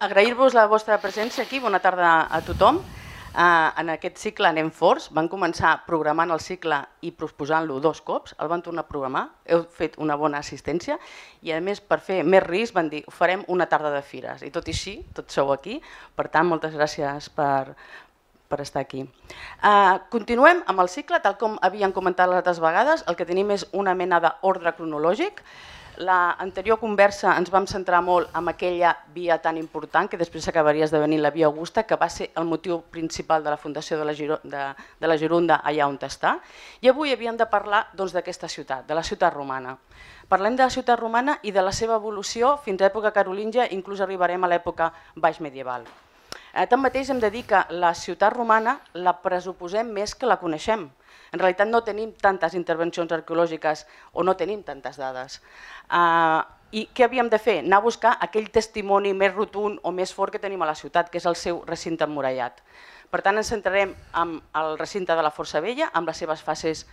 Agrair-vos la vostra presència aquí. Bona tarda a tothom. En aquest cicle anem forts. Van començar programant el cicle i proposant-lo 2 cops. El van tornar a programar. Heu fet una bona assistència i, a més, per fer més risc, van dir farem una tarda de fires. I tot i així, tots sou aquí. Per tant, moltes gràcies per estar aquí. Continuem amb el cicle, tal com havíem comentat les altres vegades. El que tenim és una mena d'ordre cronològic. L'anterior conversa ens vam centrar molt en aquella via tan important que després s'acabaria esdevenint la via Augusta, que va ser el motiu principal de la fundació de la Gironda allà on està. I avui havíem de parlar d'aquesta ciutat, de la ciutat romana. Parlem de la ciutat romana i de la seva evolució fins a l'època carolíngia, inclús arribarem a l'època baix medieval. Tanmateix hem de dir que la ciutat romana la pressuposem més que la coneixem. En realitat no tenim tantes intervencions arqueològiques o no tenim tantes dades. I què havíem de fer? Anar a buscar aquell testimoni més rotund o més fort que tenim a la ciutat, que és el seu recinte emmurallat. Per tant, ens centrarem en el recinte de la Força Vella, amb les seves fases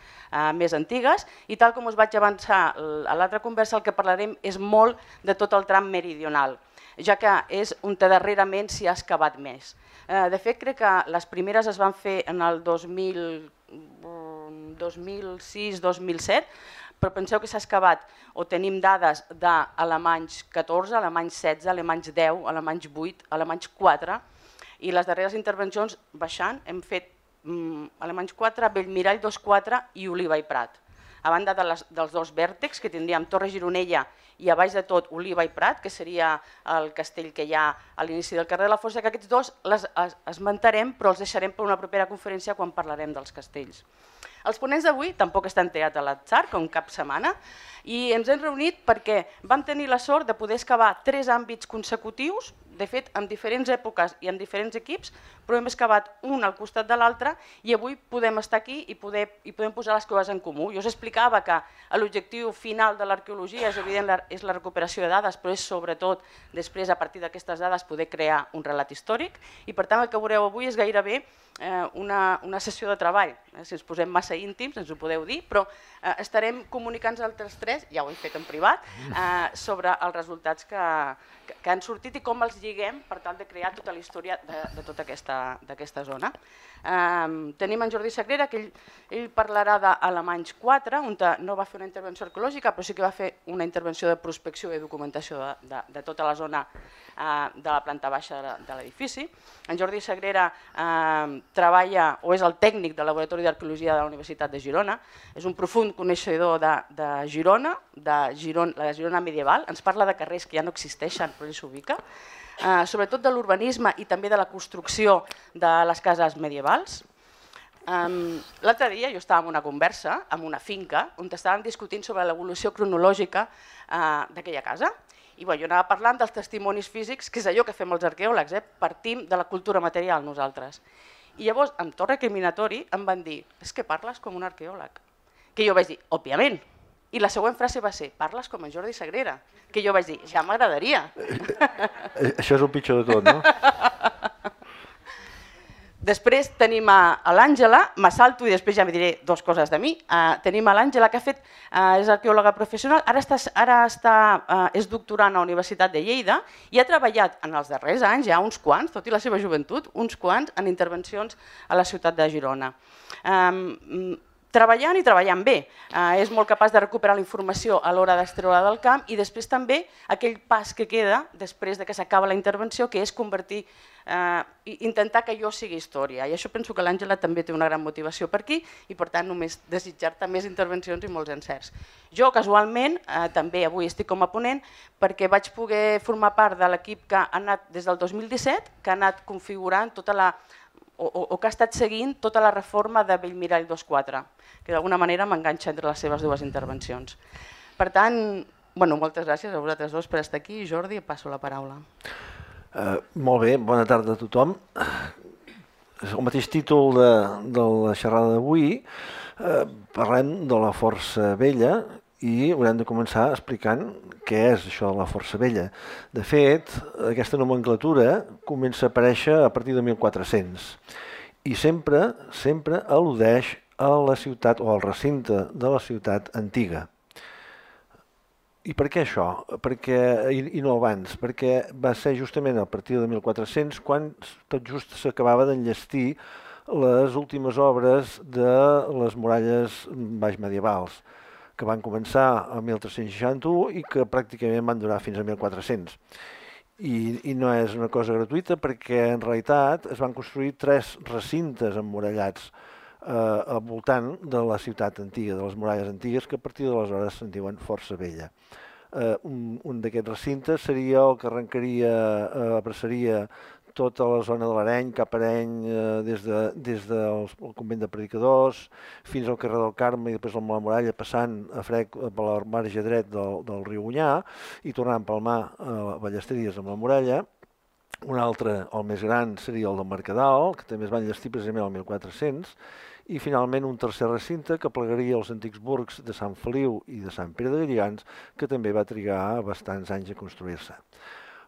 més antigues, i tal com us vaig avançar a l'altra conversa, el que parlarem és molt de tot el tram meridional, ja que és on darrerament s'hi ha excavat més. De fet, crec que les primeres es van fer en el 2006-2007, però penseu que s'ha excavat o tenim dades d'alemanys 14, alemanys 16, alemanys 10, alemanys 8, alemanys 4, i les darreres intervencions baixant hem fet alemanys 4, Bellmirall 2-4 i Oliva i Prat. A banda dels 2 vèrtexs que tindríem Torre Gironella i a baix de tot Oliva i Prat, que seria el castell que hi ha a l'inici del carrer de la Força, que aquests 2 els esmentarem però els deixarem per una propera conferència quan parlarem dels castells. Els ponents d'avui tampoc estan triats a l'atzar, com cap setmana, i ens hem reunit perquè vam tenir la sort de poder excavar 3 àmbits consecutius, de fet en diferents èpoques i en diferents equips, però hem excavat un al costat de l'altre i avui podem estar aquí i podem posar les coses en comú. Jo us explicava que l'objectiu final de l'arqueologia és evident, és la recuperació de dades, però és sobretot després a partir d'aquestes dades poder crear un relat històric i per tant el que veureu avui és gairebé una sessió de treball. Si ens posem massa íntims ens ho podeu dir, però estarem comunicant altres 3, ja ho hem fet en privat, sobre els resultats que han sortit i com els lliguem per tal de crear tota la història de tota aquesta zona. Tenim en Jordi Sagrera, que ell parlarà d'Alemanys 4, on no va fer una intervenció arqueològica, però sí que va fer una intervenció de prospecció i documentació de tota la zona de la planta baixa de l'edifici. En Jordi Sagrera treballa o és el tècnic del Laboratori d'Arqueologia de la Universitat de Girona, és un profund coneixedor de Girona, de la Girona medieval, ens parla de carrers que ja no existeixen però ell s'ubica, sobretot de l'urbanisme i també de la construcció de les cases medievals. L'altre dia jo estava en una conversa, en una finca, on estàvem discutint sobre l'evolució cronològica d'aquella casa. I jo anava parlant dels testimonis físics, que és allò que fem els arqueòlegs, partim de la cultura material nosaltres. I llavors, en to recriminatori, em van dir, és que parles com un arqueòleg. Que jo vaig dir, òbviament. I la següent frase va ser, parles com en Jordi Sagrera. Que jo vaig dir, ja m'agradaria. Això és el pitjor de tot, no? Després tenim a l'Àngela, m'assalto i després ja me diré 2 coses de mi. Tenim a l'Àngela, que és arqueòloga professional, ara és doctorant a la Universitat de Lleida i ha treballat en els darrers anys, ja uns quants, tot i la seva joventut, uns quants en intervencions a la ciutat de Girona. Treballant i treballant bé. És molt capaç de recuperar la informació a l'hora d'extreure del camp i després també aquell pas que queda després que s'acaba la intervenció, que és intentar que allò sigui història. I això penso que l'Àngela també té una gran motivació per aquí i per tant només desitjar-te més intervencions i molts encerts. Jo casualment també avui estic com a ponent perquè vaig poder formar part de l'equip que ha anat des del 2017, que ha anat configurant tota la o que ha estat seguint tota la reforma de Bellmirall 2-4, que d'alguna manera m'enganxa entre les seves 2 intervencions. Per tant, moltes gràcies a vosaltres 2 per estar aquí. Jordi, passo la paraula. Molt bé, bona tarda a tothom. El mateix títol de la xerrada d'avui, parlem de la Força Vella i haurem de començar explicant què és això de la Força Vella. De fet, aquesta nomenclatura comença a aparèixer a partir de 1400 i sempre al·ludeix a la ciutat o al recinte de la ciutat antiga. I per què això? I no abans? Perquè va ser justament a partir de 1400 quan tot just s'acabava d'enllestir les últimes obres de les muralles baix medievals, que van començar a 1361 i que pràcticament van durar fins a 1400. I no és una cosa gratuïta perquè en realitat es van construir 3 recintes emmurallats al voltant de la ciutat antiga, de les muralles antigues, que a partir d'aleshores se'n diuen Força Vella. Un d'aquests recintes seria el que abraçaria tota la zona de l'Areny, cap a Areny, des del convent de Predicadors fins al carrer del Carme i després a la Muralla, passant a Frec per la marge dret del riu Onyar i tornant pel mar a Ballesteries amb la Muralla. Un altre, el més gran, seria el de Mercadal, que també es va enllestir precisament el 1400, i finalment un tercer recinte que plegaria els antics burgs de Sant Feliu i de Sant Pere de Galligants, que també va trigar bastants anys a construir-se.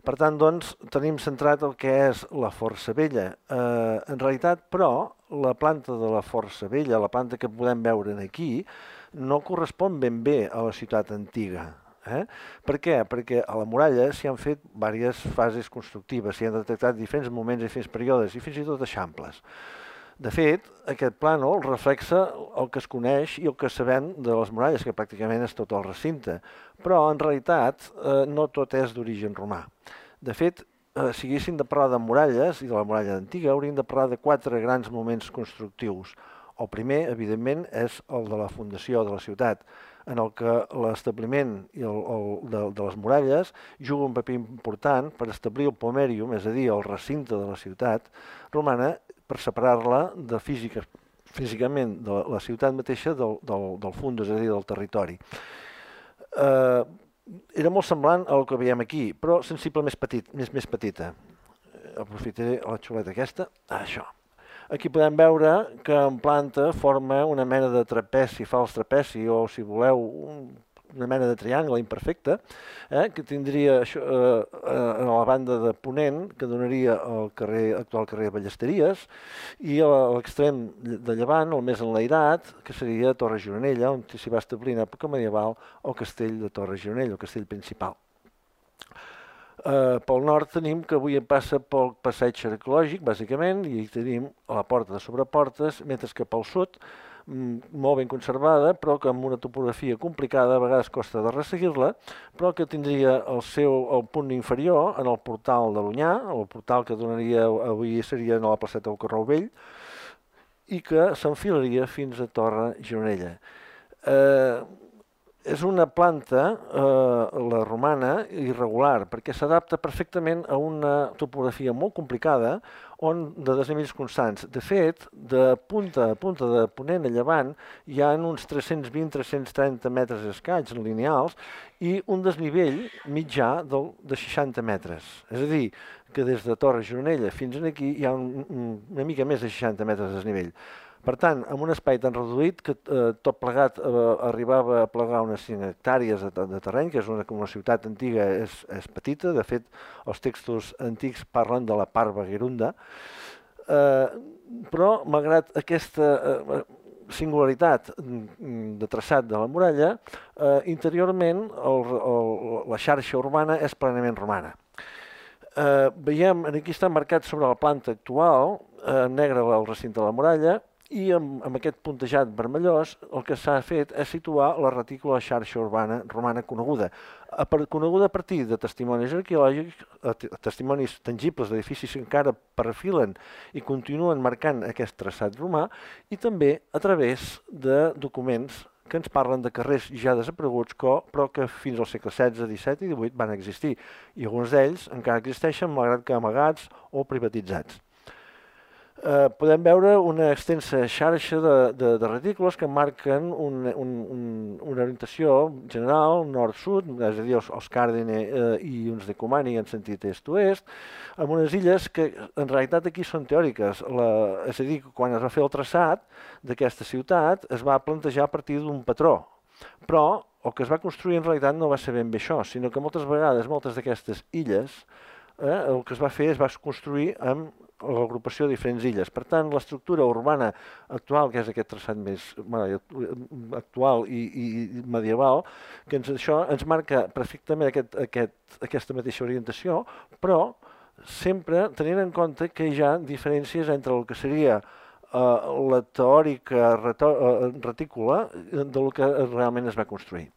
Per tant, doncs, tenim centrat el que és la Força Vella. En realitat, però, la planta de la Força Vella, la planta que podem veure aquí, no correspon ben bé a la ciutat antiga. Per què? Perquè a la muralla s'hi han fet diverses fases constructives, s'hi han detectat diferents moments i diferents períodes i fins i tot eixamples. De fet, aquest plànol reflexa el que es coneix i el que sabem de les muralles, que pràcticament és tot el recinte, però en realitat no tot és d'origen romà. De fet, si haguéssim de parlar de muralles i de la muralla antiga, hauríem de parlar de 4 grans moments constructius. El primer, evidentment, és el de la fundació de la ciutat, en el que l'establiment de les muralles juga un paper important per establir el pomerium, és a dir, el recinte de la ciutat romana, per separar-la físicament de la ciutat mateixa del fundus, és a dir, del territori. Era molt semblant al que veiem aquí, però sensible més petita. Aprofitaré la xuleta aquesta. Això. Aquí podem veure que en planta forma una mena de trapeci, fals trapeci, o si voleu, una mena de triangle imperfecte, que tindria a la banda de ponent, que donaria al actual carrer Ballesteries, i a l'extrem de llevant, el més enlairat, que seria Torre Gironella, on s'hi va establir en època medieval el castell de Torre Gironella, el castell principal. Pel nord tenim que avui passa pel passeig arqueològic, bàsicament, i tenim la porta de Sobreportes, mentre que pel sud, molt ben conservada, però que amb una topografia complicada, a vegades costa de resseguir-la, però que tindria el punt inferior en el portal de l'Onyar, el portal que donaria avui seria a la placeta del Correu Vell, i que s'enfilaria fins a Torre Gironella. És una planta, la romana, irregular, perquè s'adapta perfectament a una topografia molt complicada de desnivells constants. De fet, de punta a punta de ponent a llevant hi ha uns 320-330 metres escaig lineals i un desnivell mitjà de 60 metres. És a dir, que des de Torre Gironella fins aquí hi ha una mica més de 60 metres de desnivell. Per tant, amb un espai tan reduït que tot plegat arribava a plegar unes 5 hectàrees de terreny, que és una ciutat antiga, és petita. De fet, els textos antics parlen de la Parva Gerunda. Però, malgrat aquesta singularitat de traçat de la muralla, interiorment la xarxa urbana és plenament romana. Veiem, aquí està marcat sobre la planta actual, en negre el recinte de la muralla, i amb aquest puntejat vermellós el que s'ha fet és situar la retícula xarxa urbana romana coneguda a partir de testimonis arqueològics, testimonis tangibles d'edificis que encara perfilen i continuen marcant aquest traçat romà, i també a través de documents que ens parlen de carrers ja desapareguts, però que fins al segle XVI, XVII i XVIII van existir, i alguns d'ells encara existeixen, malgrat que amagats o privatitzats. Podem veure una extensa xarxa de retícules que marquen una orientació general, nord-sud, és a dir, els Càrdine i uns de Comani en sentit est-oest, amb unes illes que en realitat aquí són teòriques. És a dir, quan es va fer el traçat d'aquesta ciutat es va plantejar a partir d'un patró, però el que es va construir en realitat no va ser ben bé això, sinó que moltes vegades moltes d'aquestes illes el que es va fer es va construir amb l'agrupació de diferents illes. Per tant, l'estructura urbana actual, que és aquest traçat més actual i medieval, que això ens marca perfectament aquesta mateixa orientació, però sempre tenint en compte que hi ha diferències entre el que seria la teòrica retícula del que realment es va construir.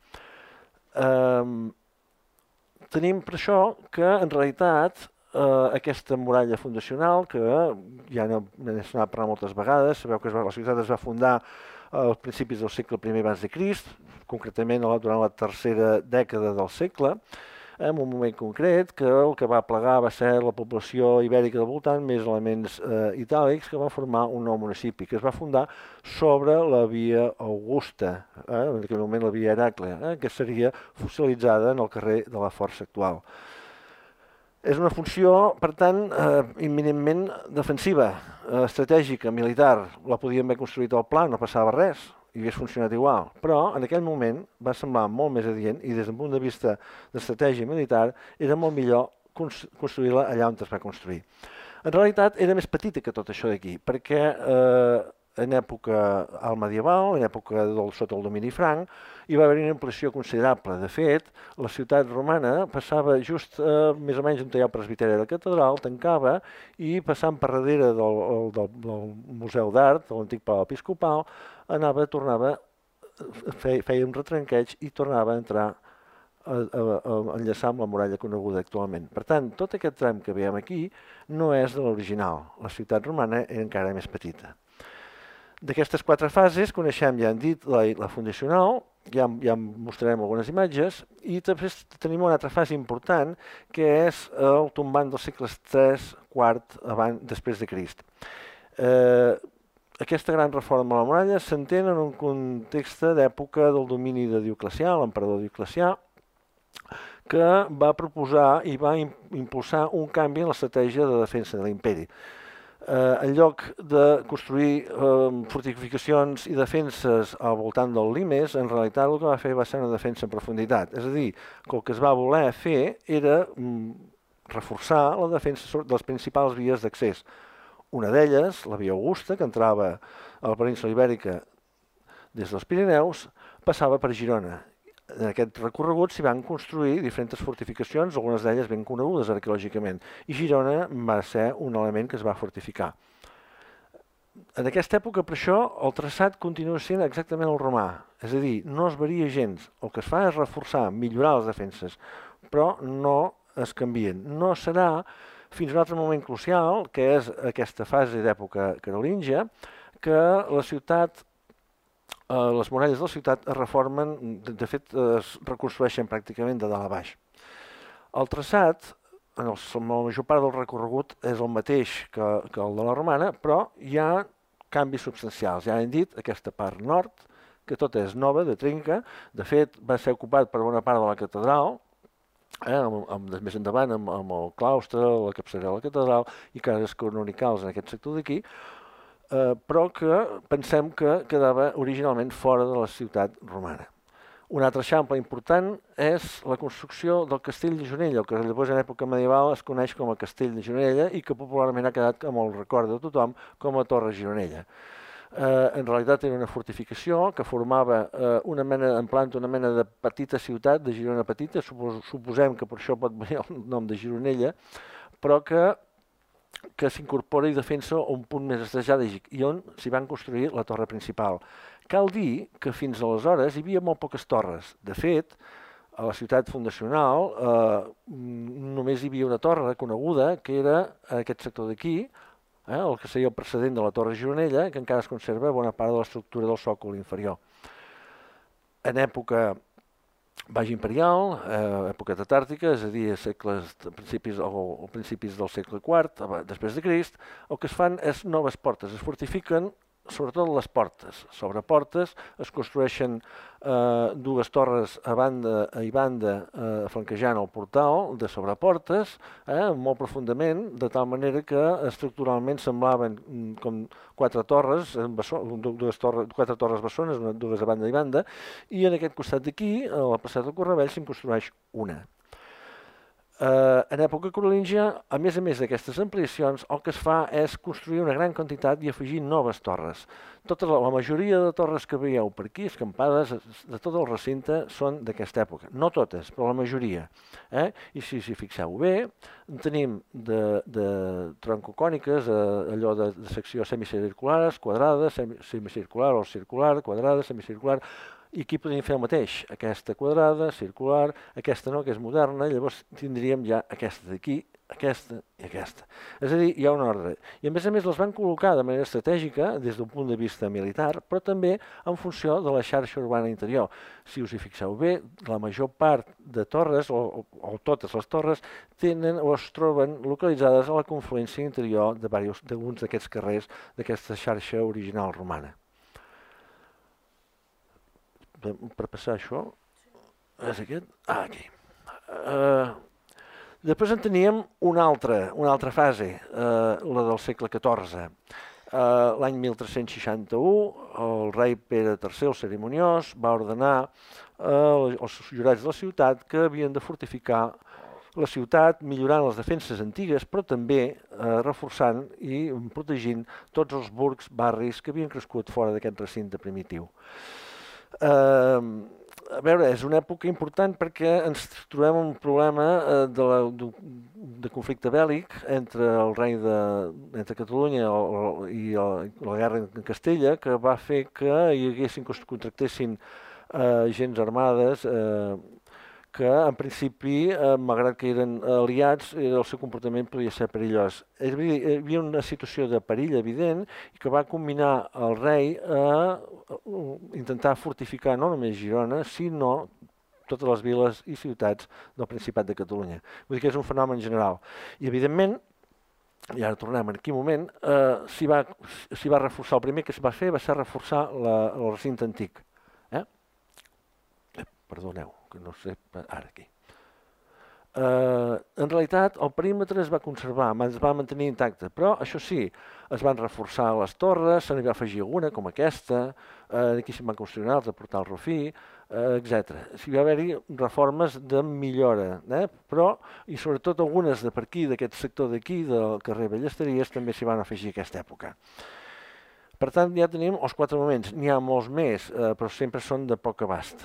Tenim per això que, en realitat, aquesta muralla fundacional, que ja n'he sonat parlar moltes vegades, sabeu que la ciutat es va fundar als principis del segle I abans de Crist, concretament durant la tercera dècada del segle, en un moment concret que el que va plegar va ser la població ibèrica del voltant, més elements itàlics, que van formar un nou municipi, que es va fundar sobre la via Augusta, en aquell moment la via Heràclea, que seria fossilitzada en el carrer de la Força actual. És una funció, per tant, imminentment defensiva, estratègica, militar. La podíem haver construït al pla, no passava res, i hagués funcionat igual, però en aquell moment va semblar molt més adient i des d'un punt de vista d'estratègia militar era molt millor construir-la allà on es va construir. En realitat era més petita que tot això d'aquí, perquè en època medieval, en època sota el domini franc, hi va haver una ampliació considerable. De fet, la ciutat romana passava just més o menys on hi ha el presbiteri de la catedral, tancava i passant per darrere del Museu d'Art, de l'antic Palau Episcopal, tornava, feia un retranqueig i tornava a entrar a enllaçar amb la muralla coneguda actualment. Per tant, tot aquest tram que veiem aquí no és de l'original. La ciutat romana era encara més petita. D'aquestes 4 fases coneixem, ja hem dit, la fundacional, ja mostrarem algunes imatges, i també tenim una altra fase important, que és el tombant dels segles III, IV, després de Crist. Aquesta gran reforma de la muralla s'entén en un context d'època del domini de Dioclecià, l'emperador Dioclecià, que va proposar i va impulsar un canvi en l'estratègia de defensa de l'imperi. En lloc de construir fortificacions i defenses al voltant del limes, en realitat el que va fer va ser una defensa en profunditat. És a dir, que el que es va voler fer era reforçar la defensa de les principals vies d'accés. Una d'elles, la via Augusta, que entrava a la península Ibèrica des dels Pirineus, passava per Girona. En aquest recorregut s'hi van construir diferents fortificacions, algunes d'elles ben conegudes arqueològicament, i Girona va ser un element que es va fortificar. En aquesta època, per això, el traçat continua sent exactament el romà, és a dir, no es varia gens. El que es fa és reforçar, millorar les defenses, però no es canvien. No serà fins a un altre moment crucial, que és aquesta fase d'època carolíngia, que la ciutat, les muralles de la ciutat es reformen, de fet es reconstrueixen pràcticament de dalt a baix. El traçat, en la major part del recorregut, és el mateix que el de la romana, però hi ha canvis substancials. Ja hem dit, aquesta part nord, que tota és nova, de trinca, de fet va ser ocupat per bona part de la catedral, més endavant amb el claustre, la capçalera de la catedral i cases canonicals en aquest sector d'aquí, però que pensem que quedava originalment fora de la ciutat romana. Un altre eixample important és la construcció del castell de Gironella, el que llavors en època medieval es coneix com a castell de Gironella i que popularment ha quedat amb el record de tothom com a Torre Gironella. En realitat era una fortificació que formava en planta una mena de petita ciutat, de Girona petita, suposem que per això pot venir el nom de Gironella, però que s'incorpora i defensa un punt més estratègic i on s'hi van construir la torre principal. Cal dir que fins aleshores hi havia molt poques torres. De fet, a la ciutat fundacional només hi havia una torre coneguda que era aquest sector d'aquí, el que seria el precedent de la Torre Gironella, que encara es conserva bona part de l'estructura del sòcol inferior. En època baix imperial, època tetàrtica, és a dir, principis del segle IV, després de Crist, el que es fan és noves portes, es fortifiquen sobretot les portes. Sobre portes es construeixen dues torres a banda i banda flanquejant el portal de sobreportes, molt profundament, de tal manera que estructuralment semblaven com quatre torres bessones, dues a banda i banda, i en aquest costat d'aquí, a la passada del Correbell, se'n construeix una. En època carolíngia, a més d'aquestes ampliacions, el que es fa és construir una gran quantitat i afegir noves torres. La majoria de torres que veieu per aquí, escampades de tot el recinte, són d'aquesta època. No totes, però la majoria. I si fixeu bé, tenim de troncocòniques, allò de secció semicirculars, quadrada, semicircular o circular, quadrada, semicircular. I aquí podríem fer el mateix, aquesta quadrada, circular, aquesta no, que és moderna, llavors tindríem ja aquesta d'aquí, aquesta i aquesta. És a dir, hi ha un ordre. I a més les van col·locar de manera estratègica des d'un punt de vista militar, però també en funció de la xarxa urbana interior. Si us hi fixeu bé, la major part de torres, o totes les torres, tenen o es troben localitzades a la confluència interior d'alguns d'aquests carrers d'aquesta xarxa original romana. Per passar això, és aquest? Aquí. Després en teníem una altra fase, la del segle XIV. L'any 1361, el rei Pere III, el cerimoniós, va ordenar als jurats de la ciutat que havien de fortificar la ciutat millorant les defenses antigues, però també reforçant i protegint tots els burgs, barris que havien crescut fora d'aquest recinte primitiu. A veure, és una època important perquè ens trobem un problema de conflicte bèl·lic entre el rei entre Catalunya i la guerra en Castella, que va fer que contractessin gens armades que en principi, malgrat que eren aliats, el seu comportament podia ser perillós. Hi havia una situació de perill evident i que va combinar el rei a intentar fortificar no només Girona, sinó totes les viles i ciutats del Principat de Catalunya. Vull dir que és un fenomen general. I, evidentment, i ara tornem en quin moment, s'hi va reforçar. El primer que es va fer va ser reforçar el recinte antic. Perdoneu, que no sé, ara aquí. En realitat, el perímetre es va conservar, es va mantenir intacte, però això sí, es van reforçar les torres, se n'hi va afegir alguna, com aquesta, aquí se'n van construir una altra, Portal Rufí, etc. Hi va haver-hi reformes de millora, però, i sobretot algunes de per aquí, d'aquest sector d'aquí, del carrer Ballesteries, també s'hi van afegir aquesta època. Per tant, ja tenim els 4 moments, n'hi ha molts més, però sempre són de poc abast.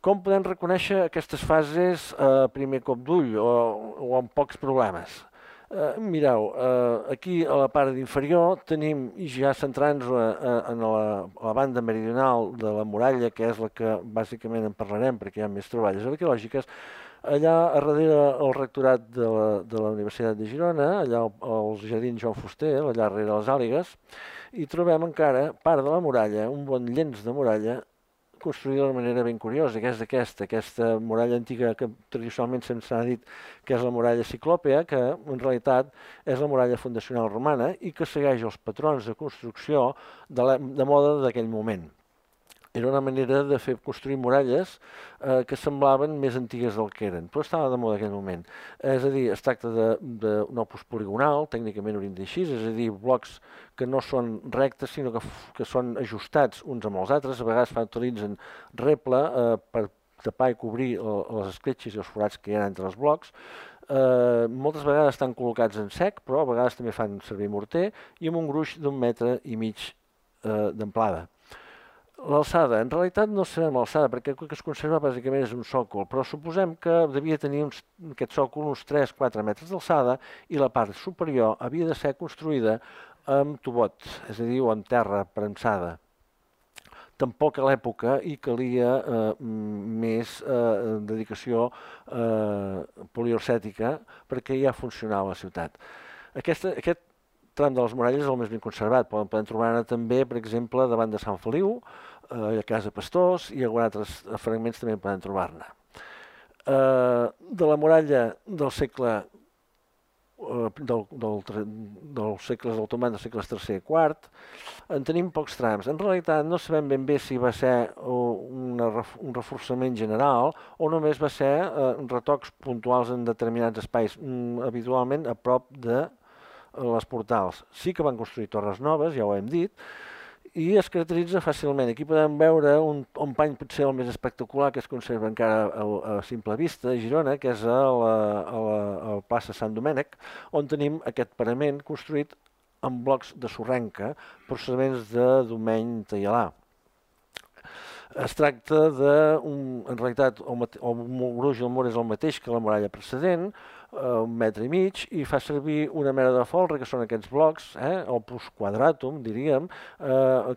Com podem reconèixer aquestes fases a primer cop d'ull o amb pocs problemes? Mireu, aquí a la part inferior tenim, ja centrant-nos en la banda meridional de la muralla, que és la que bàsicament en parlarem perquè hi ha més troballes arqueològiques, allà a darrere el rectorat de la Universitat de Girona, allà als jardins Joan Fuster, allà darrere les Àligues, hi trobem encara part de la muralla, un bon llenç de muralla, construïda de manera ben curiosa, que és aquesta muralla antiga que tradicionalment se'ns ha dit que és la muralla ciclòpea, que en realitat és la muralla fundacional romana i que segueix els patrons de construcció de moda d'aquell moment. Era una manera de fer construir muralles que semblaven més antigues del que eren, però estava de moda en aquell moment. És a dir, es tracta d'un opus poligonal, tècnicament hauríem de dir així, és a dir, blocs que no són rectes, sinó que són ajustats uns amb els altres, a vegades utilitzen reble per tapar i cobrir les escletxes i els forats que hi ha entre els blocs. Moltes vegades estan col·locats en sec, però a vegades també fan servir morter i amb un gruix d'1,5 metres d'amplada. L'alçada, en realitat no sabem l'alçada, perquè el que es conserva bàsicament és un sòcol, però suposem que devia tenir aquest sòcol uns 3-4 metres d'alçada i la part superior havia de ser construïda amb tubot, és a dir, o amb terra premsada. Tampoc a l'època hi calia més dedicació poliorcètica perquè ja funcionava la ciutat. Aquest tram de les muralles és el més ben conservat. Podem trobar-ne també, per exemple, davant de Sant Feliu, a Casa Pastors, i alguns altres fragments també poden trobar-ne. De la muralla del segle dels segles otomans, dels segles III i IV, en tenim pocs trams. En realitat no sabem ben bé si va ser un reforçament general o només va ser retocs puntuals en determinats espais, habitualment a prop de les portals. Sí que van construir torres noves, ja ho hem dit, i es caracteritza fàcilment. Aquí podem veure un pany potser el més espectacular que es conserva encara a simple vista a Girona, que és a la plaça Sant Domènec, on tenim aquest parament construït amb blocs de sorrenca procedents de Domeny Taialà. Es tracta en realitat, el gruix i el mur és el mateix que la muralla precedent, 1,5 metres, i fa servir una mena de folre, que són aquests blocs, opus quadratum, diríem,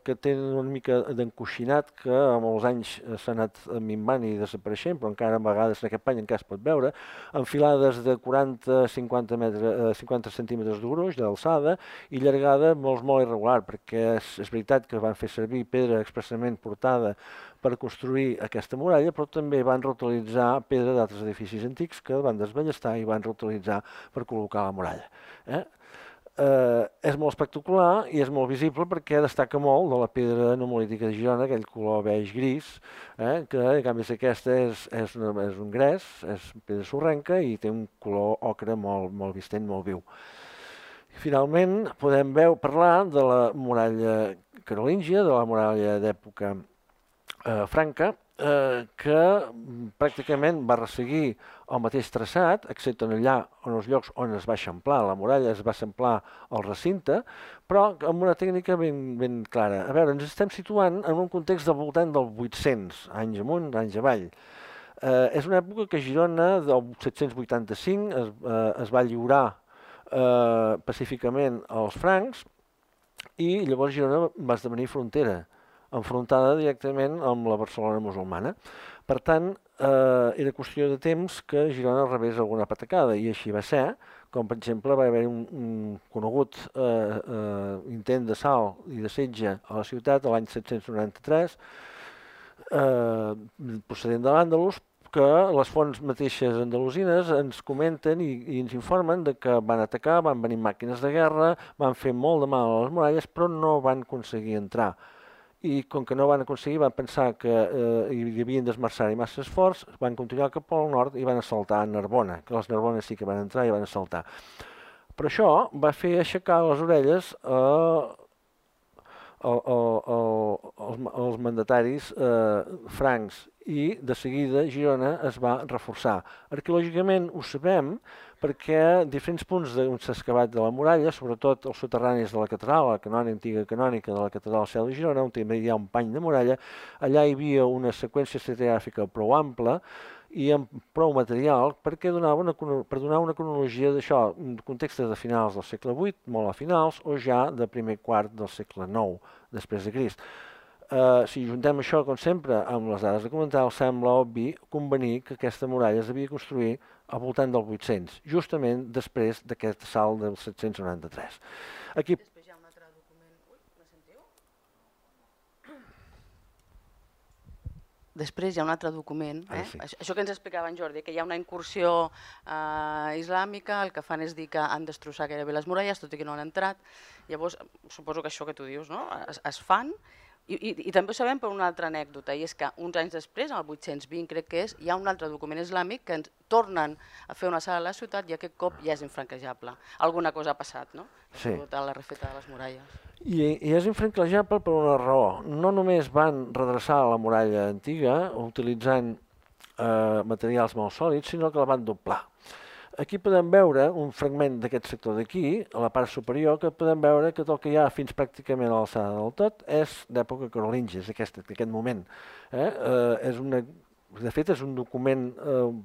que tenen una mica d'encoixinat, que amb els anys s'ha anat minvant i desapareixent, però encara a vegades en aquest pany encara es pot veure, enfilades de 40-50 centímetres de gruix, d'alçada, i llargada molt irregular, perquè és veritat que van fer servir pedra expressament portada per construir aquesta muralla, però també van reutilitzar pedra d'altres edificis antics que van desballestar i van reutilitzar per col·locar la muralla. És molt espectacular i és molt visible perquè destaca molt de la pedra numolítica de Girona, aquell color beix-gris, que en canvi aquesta és un gres, és pedra sorrenca i té un color ocre molt vistent, molt viu. Finalment podem parlar de la muralla carolíngia, de la muralla d'època franca, que pràcticament va resseguir el mateix traçat, excepte allà on els llocs on es va eixamplar la muralla, es va eixamplar el recinte, però amb una tècnica ben clara. A veure, ens estem situant en un context del voltant del 800, anys amunt, anys avall. És una època que Girona, del 785, es va lliurar pacíficament als francs i llavors Girona va esdevenir frontera, enfrontada directament amb la Barcelona musulmana. Per tant, era qüestió de temps que Girona rebés alguna patacada, i així va ser, com per exemple va haver un conegut intent d'assalt i de setge a la ciutat l'any 793, procedent de l'Àndalus, que les fonts mateixes andalusines ens comenten i ens informen de que van atacar, van venir màquines de guerra, van fer molt de mal a les muralles, però no van aconseguir entrar. I com que no van aconseguir, van pensar que hi havien d'esmerçar-hi massa esforç, van continuar cap al nord i van assaltar Narbona, que les Narbones sí que van entrar i van assaltar. Però això va fer aixecar les orelles als mandataris francs i de seguida Girona es va reforçar. Arqueològicament ho sabem perquè diferents punts on s'ha excavat de la muralla, sobretot els soterranis de la catedral, la antiga canònica de la catedral Seu de Girona, on també hi ha un pany de muralla, allà hi havia una seqüència estratigràfica prou ampla i amb prou material per donar una cronologia d'això, contextes de finals del segle VIII, molt a finals, o ja de primer quart del segle IX, després de Crist. Si juntem això, com sempre, amb les dades documentals, sembla obvi convenir que aquesta muralla es devia construir al voltant del 800, justament després d'aquest assalt del 793. Aquí... Després hi ha un altre document... Ui, me sentiu? Després hi ha un altre document, sí. Això que ens explicava en Jordi, que hi ha una incursió islàmica, el que fan és dir que han destrossat gairebé les muralles, tot i que no han entrat. Llavors, suposo que això que tu dius, no? Es fan. I també ho sabem per una altra anècdota, i és que uns anys després, el 820 crec que és, hi ha un altre document islàmic que ens tornen a fer una sala a la ciutat i aquest cop ja és infranquejable. Alguna cosa ha passat, no? Sí. A la refeta de les muralles. I és infranquejable per una raó. No només van redreçar la muralla antiga utilitzant materials molt sòlids, sinó que la van doblar. Aquí podem veure un fragment d'aquest sector d'aquí, a la part superior, que podem veure que tot el que hi ha fins pràcticament a l'alçada del tot és d'època carolíngia, és d'aquest moment. De fet, és un document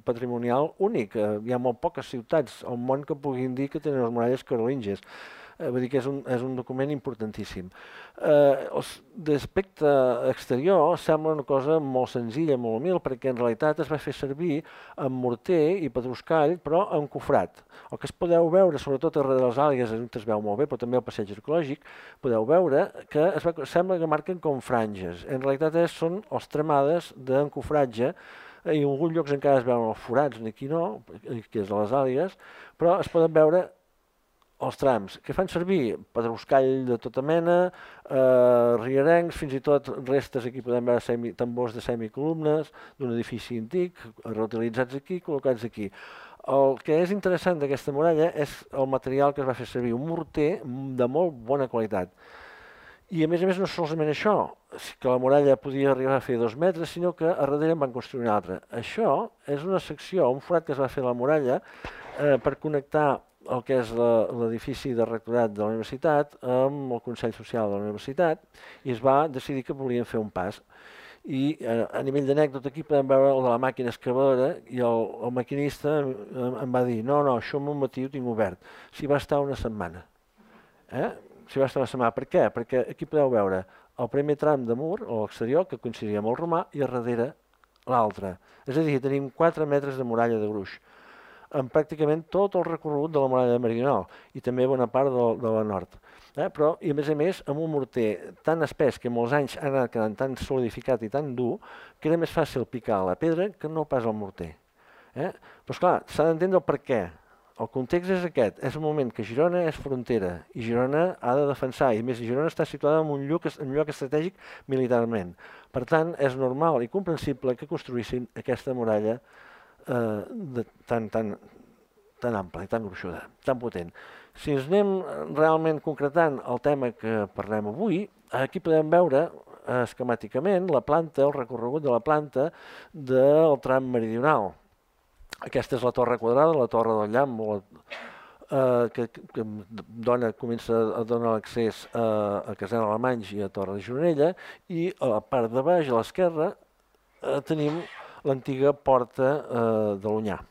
patrimonial únic. Hi ha molt poques ciutats al món que puguin dir que tenen les muralles carolíngies. Vull dir que és un document importantíssim. D'aspecte exterior sembla una cosa molt senzilla, molt humil, perquè en realitat es va fer servir amb morter i pedruscall, però encofrat. El que es podeu veure, sobretot darrere de les àligues, on es veu molt bé, però també al passeig arqueològic, podeu veure que sembla que marquen com franges. En realitat són els tramades d'encofratge, i en alguns llocs encara es veuen els forats, aquí no, que és de les àligues, però es poden veure els trams, que fan servir pedruscall de tota mena, rierencs, fins i tot restes, aquí podem veure tambors de semicolumnes d'un edifici antic, reutilitzats aquí, col·locats aquí. El que és interessant d'aquesta muralla és el material que es va fer servir, un morter de molt bona qualitat. I a més no solament això, que la muralla podia arribar a fer 2 metres, sinó que a darrere en van construir una altra. Això és una secció, un forat que es va fer a la muralla per connectar el que és l'edifici de rectorat de la universitat amb el Consell Social de la universitat, i es va decidir que volien fer un pas. I a nivell d'anècdota aquí podem veure el de la màquina excavadora, i el maquinista em va dir no, això en un matí ho tinc obert. S'hi va estar una setmana. S'hi va estar una setmana. Per què? Perquè aquí podeu veure el primer tram de mur, o l'exterior, que coincidia amb el romà, i a darrere l'altre. És a dir, tenim 4 metres de muralla de gruix, amb pràcticament tot el recorregut de la muralla meridional i també bona part de la nord. Però, i a més, amb un morter tan espès que molts anys ha anat quedant tan solidificat i tan dur que era més fàcil picar la pedra que no pas el morter. Però, esclar, s'ha d'entendre el per què. El context és aquest, és un moment que Girona és frontera i Girona ha de defensar, i més Girona està situada en un lloc estratègic militarment. Per tant, és normal i comprensible que construïssin aquesta muralla tan ampla i tan gruixuda, tan potent. Si ens anem realment concretant el tema que parlem avui, aquí podem veure esquemàticament la planta, el recorregut de la planta del tram meridional. Aquesta és la torre quadrada, la torre del Llamp, que comença a donar l'accés a Casal Alemanys i a Torre de Gironella, i a la part de baix, a l'esquerra, tenim l'antiga porta de l'Onyar.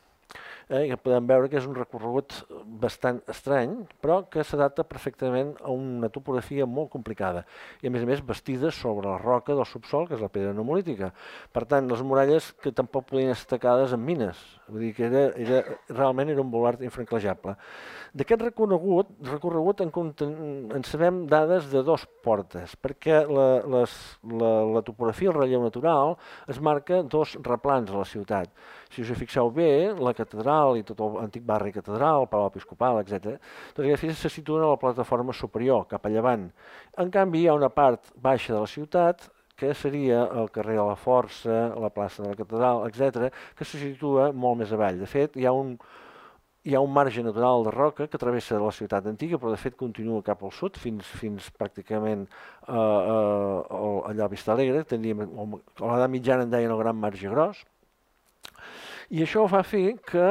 Que podem veure que és un recorregut bastant estrany, però que s'adapta perfectament a una topografia molt complicada i a més bastida sobre la roca del subsol, que és la pedra nummulítica. Per tant, les muralles que tampoc podien estar tacades amb mines, vull dir que realment era un baluard infranquejable. D'aquest recorregut en sabem dades de 2 portes, perquè la topografia, el relleu natural, es marca 2 replans a la ciutat. Si us hi fixeu bé, la catedral i tot l'antic barri catedral, el Palau Episcopal, etc., tots aquests edificis se situen a la plataforma superior, cap a llevant. En canvi, hi ha una part baixa de la ciutat, que seria el carrer de la Força, la plaça de la catedral, etc., que se situa molt més avall. De fet, hi ha un marge natural de roca que travessa la ciutat antiga, però de fet continua cap al sud, fins pràcticament allà a Vista Alegre, a l'edat mitjana en deien el Gran Marge Gros, i això va fer que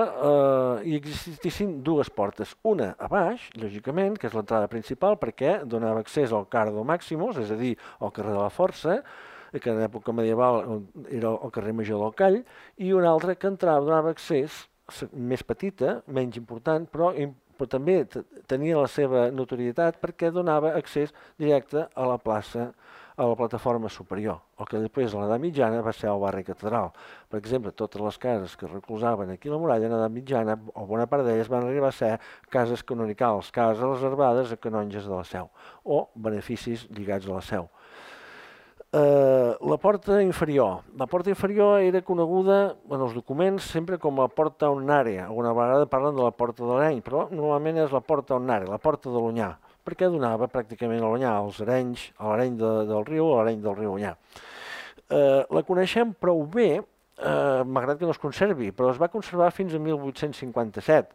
hi existissin 2 portes. Una a baix, lògicament, que és l'entrada principal, perquè donava accés al Cardo Maximus, és a dir, al carrer de la Força, que en època medieval era el carrer Major del Call, i una altra que donava accés, més petita, menys important, però també tenia la seva notorietat perquè donava accés directe a la plaça, a la plataforma superior, el que després a l'edat mitjana va ser el barri catedral. Per exemple, totes les cases que recolzaven aquí la muralla en l'edat mitjana, o bona part d'elles, van arribar a ser cases canonicals, cases reservades a canonges de la Seu, o beneficis lligats a la Seu. La porta inferior. La porta inferior era coneguda en els documents sempre com a porta Onnària. Alguna vegada parlen de la porta de l'Areny, però normalment és la porta Onnària, la porta de l'Onyar, perquè donava pràcticament a l'Onyar, als Arenys, a l'Areny del riu, a l'Areny del riu Onyar. La coneixem prou bé, malgrat que no es conservi, però es va conservar fins a 1857,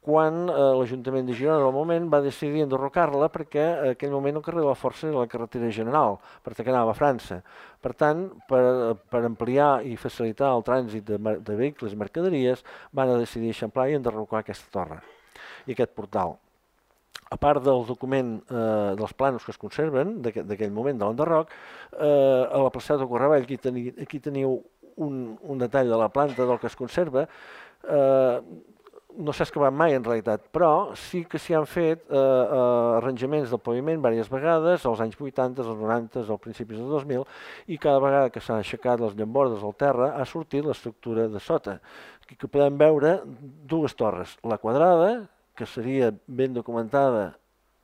quan l'Ajuntament de Girona del moment va decidir enderrocar-la perquè en aquell moment el carrer de la Força era la carretera general, perquè anava a França. Per tant, per ampliar i facilitar el trànsit de vehicles i mercaderies, van decidir eixamplar i enderrocar aquesta torre i aquest portal. A part del document dels plànols que es conserven d'aquell moment de l'enderroc, a la placeta de Correball aquí teniu un detall de la planta del que es conserva. No s'ha excavat mai en realitat, però sí que s'hi han fet arranjaments del paviment diverses vegades, als anys 80, als 90, als principis del 2000, i cada vegada que s'han aixecat les llambordes del terra ha sortit l'estructura de sota. Aquí que podem veure 2 torres, la quadrada, que seria ben documentada,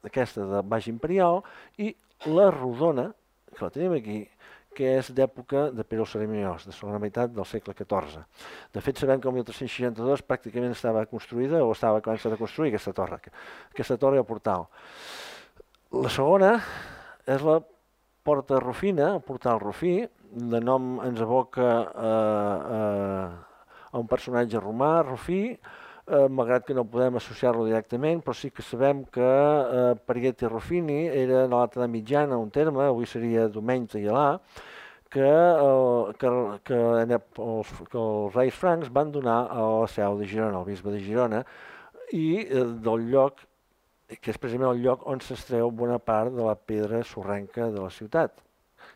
aquesta de baix imperial, i la rodona, que la tenim aquí, que és d'època de Pere el Cerimoniós, de segona meitat del segle XIV. De fet, sabem que el 1362 pràcticament estava construïda o estava començant a construir aquesta torre al portal. La segona és la Porta Rufina, el portal Rufí, de nom ens evoca a un personatge romà, Rufí, malgrat que no podem associar-lo directament, però sí que sabem que Parieti Ruffini era en l'Edat Mitjana un terme, avui seria Domeny Teialà, que els reis francs van donar a la seu de Girona, al bisbe de Girona, i del lloc, que és precisament el lloc on s'extreu bona part de la pedra sorrenca de la ciutat,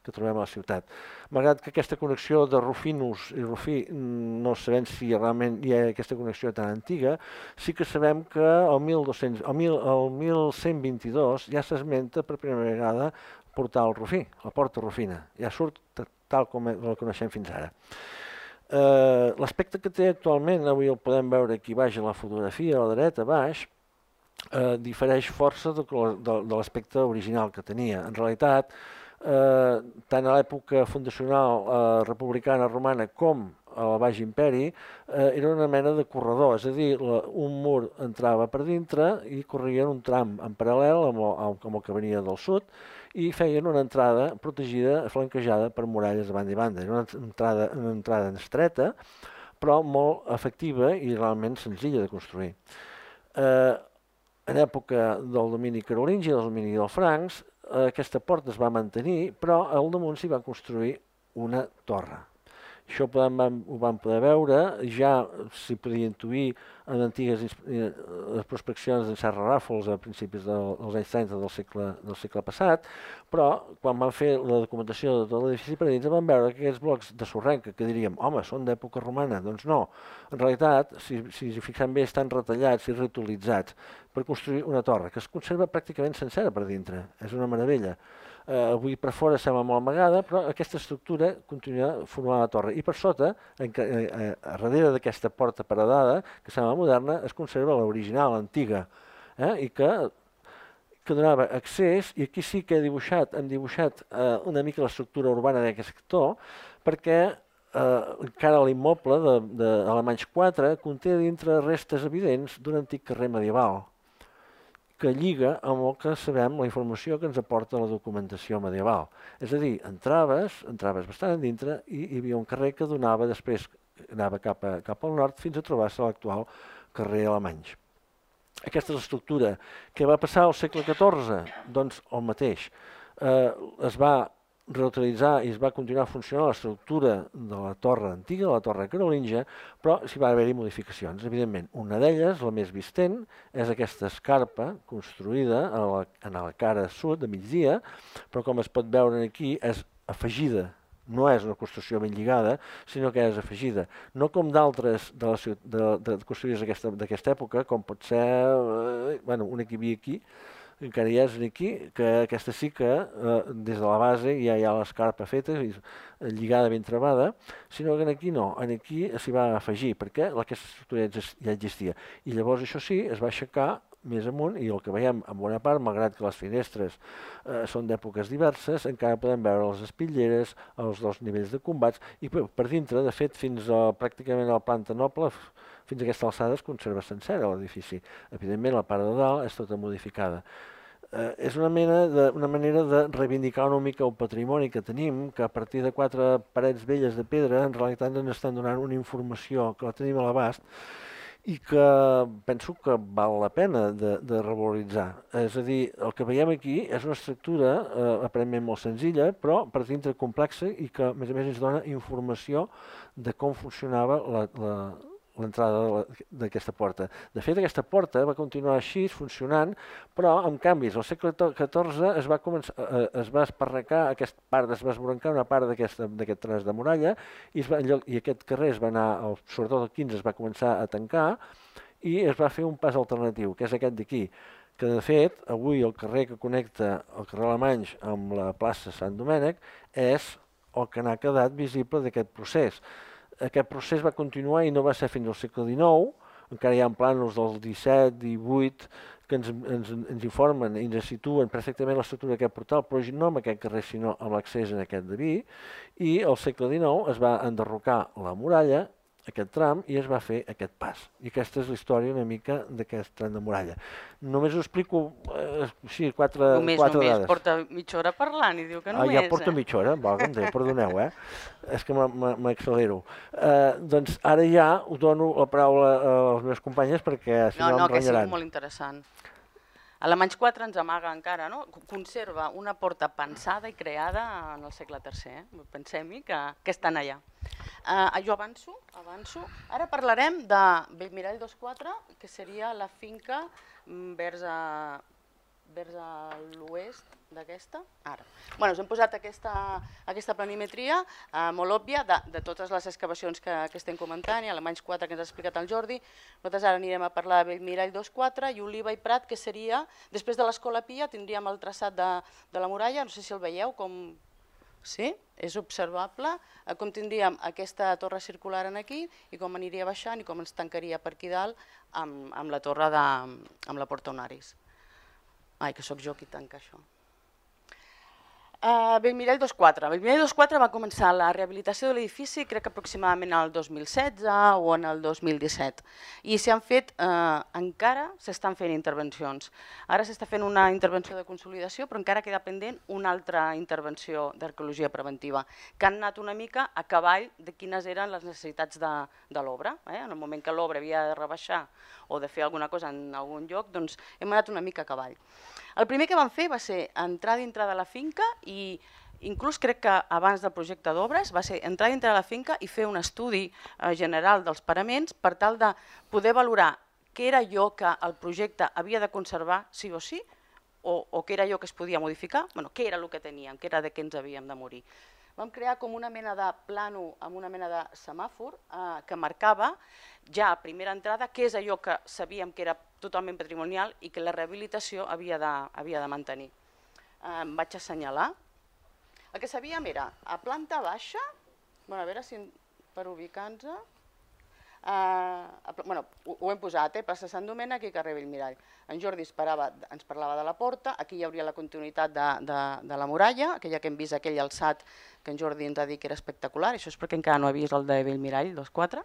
que trobem a la ciutat. Malgrat que aquesta connexió de Rufinus i Rufí no sabem si realment hi ha aquesta connexió tan antiga, sí que sabem que el 1122 ja s'esmenta per primera vegada portal Rufí, la porta Rufina. Ja surt tal com la coneixem fins ara. L'aspecte que té actualment, avui el podem veure aquí baix a la fotografia, a la dreta baix, difereix força de l'aspecte original que tenia. En realitat, tant a l'època fundacional republicana romana com al Baix Imperi, era una mena de corredor, és a dir, un mur entrava per dintre i corrien un tram en paral·lel amb el que venia del sud i feien una entrada protegida, flanquejada per muralles de banda i banda. Era una entrada estreta, però molt efectiva i realment senzilla de construir. En època del domini carolingi, del domini dels francs, aquesta porta es va mantenir, però al damunt s'hi va construir una torre. Això ho vam poder veure, ja s'hi podia intuir en antigues prospeccions d'en Serra Ràfols a principis dels anys 30 del segle passat, però quan van fer la documentació de tot l'edifici per dins van veure que aquests blocs de sorrenca que diríem, home, són d'època romana, doncs no. En realitat, si hi fixem bé, estan retallats i reutilitzats per construir una torre que es conserva pràcticament sencera per dintre. És una meravella. Avui per fora sembla molt amagada, però aquesta estructura continua formant la torre. I per sota, a darrere d'aquesta porta paredada, que sembla moderna, es conserva l'original, l'antiga, i que donava accés, i aquí sí que hem dibuixat una mica l'estructura urbana d'aquest sector, perquè encara l'immoble d'Alemanys 4 conté dintre restes evidents d'un antic carrer medieval, que lliga amb el que sabem, la informació que ens aporta la documentació medieval. És a dir, entraves bastant a dintre i hi havia un carrer que donava després, anava cap al nord fins a trobar-se l'actual carrer Alemanys. Aquesta és l'estructura. Què va passar al segle XIV? Doncs el mateix. Es va reutilitzar i es va continuar funcionant l'estructura de la torre antiga, de la torre carolingia, però s'hi va haver-hi modificacions. Evidentment, una d'elles, la més vistent, és aquesta escarpa construïda en la cara sud, de migdia, però com es pot veure aquí, és afegida. No és una construcció ben lligada, sinó que és afegida. No com d'altres de construïdes d'aquesta època, com pot ser una que hi havia aquí, encara hi és aquí, que aquesta sí que des de la base ja hi ha l'escarpa feta, lligada ben travada, sinó que aquí no, aquí s'hi va afegir, perquè aquesta estructura ja existia. I llavors això sí, es va aixecar més amunt i el que veiem en bona part, malgrat que les finestres són d'èpoques diverses, encara podem veure les espitlleres, els dos nivells de combats i per dintre, de fet, fins pràcticament a la planta noble, fins a aquesta alçada es conserva sencera l'edifici. Evidentment, la part de dalt és tota modificada. És una manera de reivindicar una mica el patrimoni que tenim, que a partir de 4 parets velles de pedra en realitat ens estan donant una informació que la tenim a l'abast i que penso que val la pena de revaloritzar. És a dir, el que veiem aquí és una estructura aparentment molt senzilla, però per dintre complexa i que a més ens dona informació de com funcionava l'entrada d'aquesta porta. De fet, aquesta porta va continuar així, funcionant, però amb canvis. Al segle XIV es va esparracar aquesta part, es va esbrancar una part d'aquest tros de muralla i aquest carrer es va anar, sobretot el XV, es va començar a tancar i es va fer un pas alternatiu, que és aquest d'aquí, que de fet, avui el carrer que connecta el carrer Alemanys amb la plaça Sant Domènec és el que n'ha quedat visible d'aquest procés. Aquest procés va continuar i no va ser fins al segle XIX, encara hi ha plànols del XVII, XVIII, que ens informen i ens situen perfectament l'estructura d'aquest portal, però no amb aquest carrer, sinó amb l'accés en aquest de vi, i al segle XIX es va enderrocar la muralla, aquest tram i es va fer aquest pas. I aquesta és la història una mica d'aquest tram de muralla. Només ho explico així, quatre Només, dades. porta mitja hora parlant i diu que només. Ja porta mitja hora, com deia, perdoneu, és que m'accelero. Doncs ara ja us dono la paraula a les meves companyes perquè si no em renyaran. No, que sigui molt interessant. Alemanys 4 ens amaga encara, no? Conserva una porta pensada i creada en el segle III. Pensem-hi que estan allà. Jo avanço. Ara parlarem de Bellmirall 24, que seria la finca vers a l'oest d'aquesta. Ara. Us hem posat aquesta planimetria molt òbvia de totes les excavacions que estem comentant, i Alemanys 4 que ens ha explicat el Jordi. Nosaltres ara anirem a parlar de Bellmirall 24 i Oliva i Prat, que seria, després de l'Escola Pia, tindríem el traçat de la muralla, no sé si el veieu, com... Sí, és observable, com tindríem aquesta torre circular aquí i com aniria baixant i com ens tancaria per aquí dalt amb la torre amb la Porta Onaris. Ai, que sóc jo qui tanca això. Bellmirall 24. Bellmirall 24 va començar la rehabilitació de l'edifici crec que aproximadament el 2016 o en el 2017 i encara s'estan fent intervencions. Ara s'està fent una intervenció de consolidació però encara queda pendent una altra intervenció d'arqueologia preventiva que han anat una mica a cavall de quines eren les necessitats de l'obra. En el moment que l'obra havia de rebaixar o de fer alguna cosa en algun lloc, doncs hem anat una mica a cavall. El primer que vam fer va ser entrar dintre de la finca i inclús crec que abans del projecte d'obres va ser entrar dintre de la finca i fer un estudi general dels paraments per tal de poder valorar què era allò que el projecte havia de conservar sí o sí o què era allò que es podia modificar, què era el que teníem, què era de què ens havíem de morir. Vam crear com una mena de plànol amb una mena de semàfor que marcava ja a primera entrada què és allò que sabíem que era totalment patrimonial i que la rehabilitació havia de mantenir. Em vaig assenyalar. El que sabíem era a planta baixa, a veure si per ubicar-nos, ho hem posat, plaça Sant Domènec i carrer Bellmirall. En Jordi ens parlava de la porta, aquí hi hauria la continuïtat de la muralla, aquella que hem vist, aquell alçat que en Jordi ens ha dit que era espectacular, això és perquè encara no ha vist el de Bellmirall 24.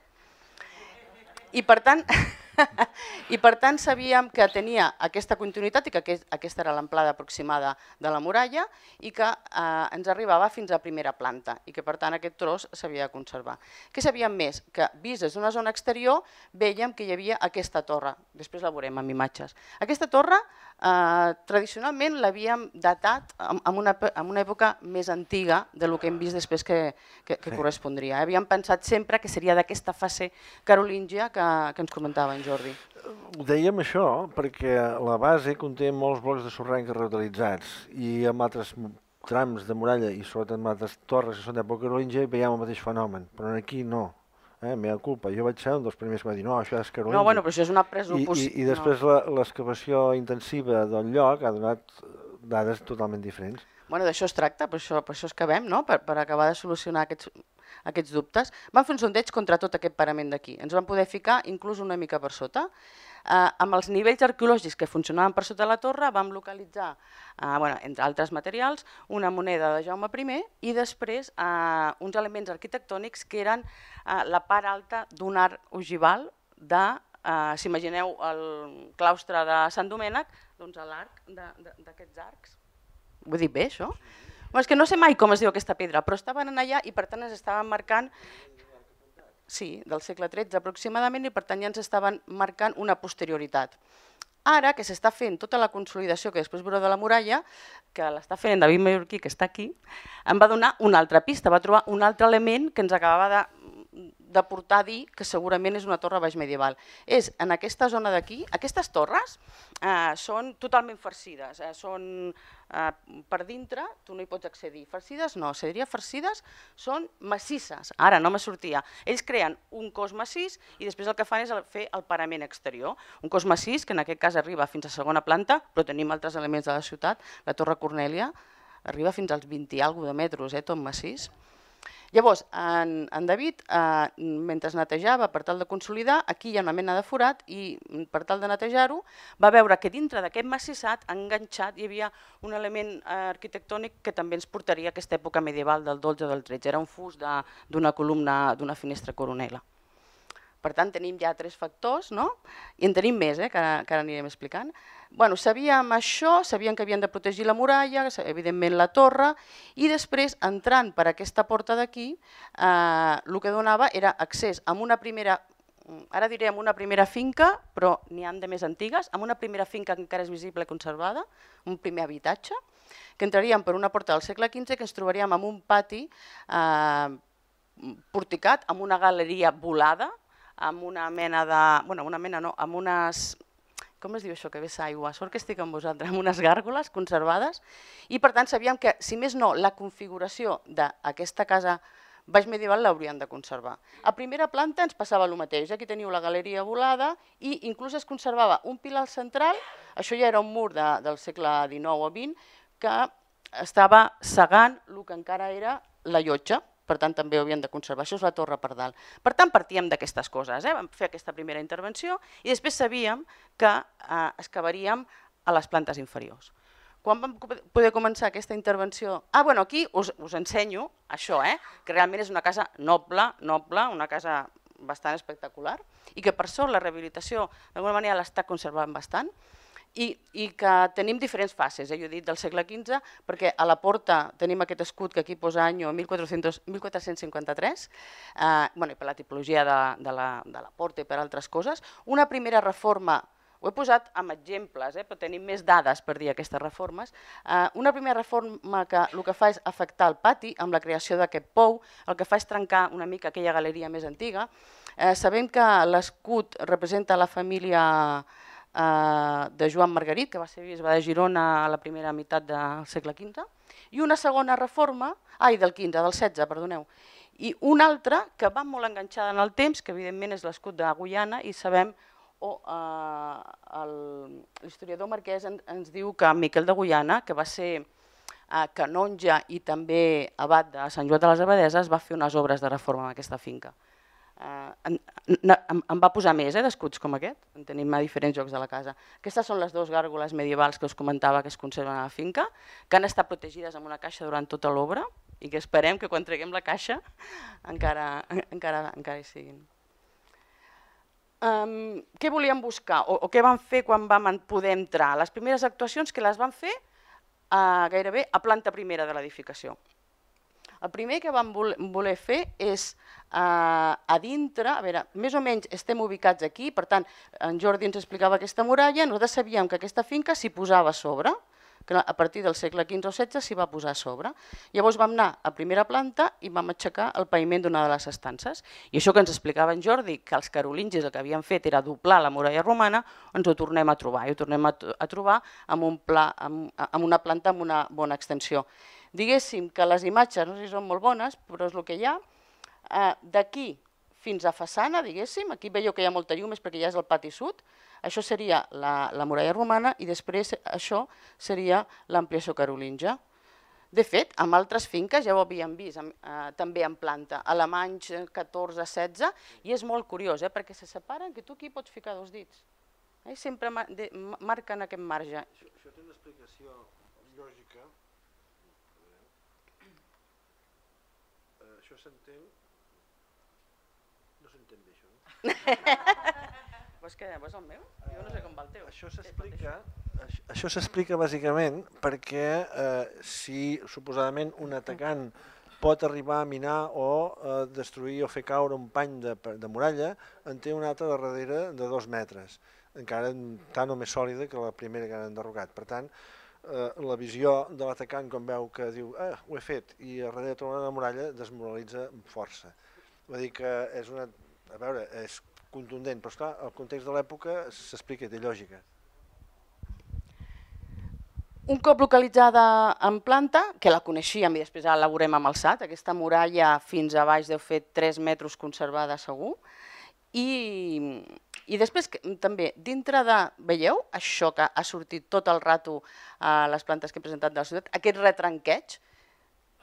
I per tant sabíem que tenia aquesta continuïtat i que aquesta era l'amplada aproximada de la muralla i que ens arribava fins a primera planta i que per tant aquest tros s'havia de conservar. Què sabíem més? Que vist des d'una zona exterior vèiem que hi havia aquesta torre, després la veurem amb imatges. Aquesta torre tradicionalment l'havíem datat en una època més antiga del que hem vist després que correspondria. Havíem pensat sempre que seria d'aquesta fase carolíngia que ens comentava en Jordi. Ho dèiem això perquè la base conté molts blocs de sorrenc reutilitzats i amb altres trams de muralla i sobretot amb altres torres que són d'època carolíngia veiem el mateix fenomen, però aquí no. Meva culpa, jo vaig ser un dels primers que va dir no, això és carolíngia. No, però això és una presuposició. I després l'excavació intensiva del lloc ha donat dades totalment diferents. D'això es tracta, per això excavem, per acabar de solucionar aquests dubtes. Vam fer un sondeig contra tot aquest parament d'aquí. Ens vam poder ficar inclús una mica per sota. Amb els nivells arqueològics que funcionaven per sota la torre vam localitzar, entre altres materials, una moneda de Jaume I i després uns elements arquitectònics que eren la part alta d'un arc ogival de, si imagineu el claustre de Sant Domènec, doncs l'arc d'aquests arcs. Ho he dit bé, això? És que no sé mai com es diu aquesta pedra, però estaven allà i per tant ens estaven marcant... Sí, del segle XIII aproximadament, i per tant ja ens estaven marcant una posterioritat. Ara que s'està fent tota la consolidació que després veureu de la muralla, que l'està fent en David Mallorquí, que està aquí, em va donar una altra pista, va trobar un altre element que ens acabava de portar a dir que segurament és una torre baix medieval. És en aquesta zona d'aquí, aquestes torres són totalment farcides, són per dintre, tu no hi pots accedir. Farcides no, se diria farcides, són massisses. Ara no me sortia. Ells creen un cos massís i després el que fan és fer el parament exterior. Un cos massís que en aquest cas arriba fins a segona planta, però tenim altres elements de la ciutat. La Torre Cornèlia arriba fins als 20 i alguna de metres, tot massís. Llavors, en David, mentre es netejava per tal de consolidar, aquí hi ha una mena de forat i per tal de netejar-ho va veure que dintre d'aquest massissat, enganxat, hi havia un element arquitectònic que també ens portaria a aquesta època medieval del 12 o del 13. Era un fust d'una columna d'una finestra coronela. Per tant, tenim ja 3 factors, no? I en tenim més, que ara anirem explicant. Bueno, sabíem això, sabíem que havien de protegir la muralla, evidentment la torre, i després, entrant per aquesta porta d'aquí, el que donava era accés a una primera, ara diré amb una primera finca, però n'hi ha de més antigues, amb una primera finca que encara és visible i conservada, un primer habitatge, que entraríem per una porta del segle XV, que ens trobaríem amb un pati porticat, amb una galeria volada, amb una mena de... bueno, una mena no, amb unes... com es diu això que vessa aigua? Sort que estic amb vosaltres, amb unes gàrgoles conservades, i per tant sabíem que, si més no, la configuració d'aquesta casa baix medieval l'haurien de conservar. A primera planta ens passava el mateix, aquí teniu la galeria volada i inclús es conservava un pilar central, això ja era un mur del segle XIX o XX, que estava cegant el que encara era la llotja, per tant també ho havien de conservar, això és la torre per dalt. Per tant partíem d'aquestes coses, vam fer aquesta primera intervenció i després sabíem que excavaríem a les plantes inferiors. Quan vam poder començar aquesta intervenció... bueno, aquí us ensenyo això, que realment és una casa noble, una casa bastant espectacular i que per sort la rehabilitació d'alguna manera l'està conservant bastant i que tenim diferents fases, jo he dit del segle XV, perquè a la porta tenim aquest escut que aquí posa any 1453, i per la tipologia de la porta i per altres coses. Una primera reforma, ho he posat amb exemples, però tenim més dades per dir aquestes reformes. Una primera reforma que el que fa és afectar el pati amb la creació d'aquest pou, el que fa és trencar una mica aquella galeria més antiga. Sabem que l'escut representa la família de Joan Margarit, que va ser bisbe de Girona a la primera meitat del segle XV, i una segona reforma, del XVI, perdoneu, i una altra que va molt enganxada en el temps, que evidentment és l'escut de Guyana, i sabem, l'historiador marquès ens diu que Miquel de Guyana, que va ser canonge i també abat de Sant Joan de les Abadeses, va fer unes obres de reforma en aquesta finca. Em va posar més d'escuts com aquest, en tenim a diferents llocs de la casa. Aquestes són les dues gàrgoles medievals que us comentava que es conserven a la finca, que han estat protegides amb una caixa durant tota l'obra i que esperem que quan treguem la caixa encara hi siguin. Què volíem buscar o què vam fer quan vam poder entrar? Les primeres actuacions que les vam fer gairebé a planta primera de l'edificació. El primer que vam voler fer és a dintre, a veure, més o menys estem ubicats aquí, per tant, en Jordi ens explicava aquesta muralla, nosaltres sabíem que aquesta finca s'hi posava a sobre, que a partir del segle XV o XVI s'hi va posar a sobre. Llavors vam anar a primera planta i vam aixecar el paviment d'una de les estances. I això que ens explicava en Jordi, que els carolingis el que havien fet era doblar la muralla romana, ens ho tornem a trobar. I ho tornem a trobar amb una planta amb una bona extensió. Diguéssim que les imatges, no sé si són molt bones, però és el que hi ha. D'aquí fins a façana, diguéssim, aquí veieu que hi ha molta llum, és perquè ja és el pati sud. Això seria la muralla romana i després això seria l'ampliació carolingia. De fet, amb altres finques ja ho havíem vist, també en planta, alemanys 14-16, i és molt curiós, perquè se separen que tu aquí pots ficar dos dits. Sempre marquen aquest marge. Això té una explicació lògica. Això s'entén... No s'entén bé, això, no? Vols el meu? Jo no sé com va el teu. Això s'explica bàsicament perquè si suposadament un atacant pot arribar a minar o destruir o fer caure un pany de muralla, en té una altra darrere de 2 metres, encara tan o més sòlida que la primera que han enderrocat. Per tant, la visió de l'atacant quan veu que diu ho he fet i a darrere troba una muralla desmoralitza amb força. Vull dir que és una... A veure, és contundent, però esclar, el context de l'època s'explica, té lògica. Un cop localitzada en planta, que la coneixíem i després ara la veurem amb el SAT, aquesta muralla fins a baix deu fer 3 metres conservada segur, i després també dintre de, veieu, això que ha sortit tot el rato a les plantes que he presentat de la ciutat, aquest retranqueig,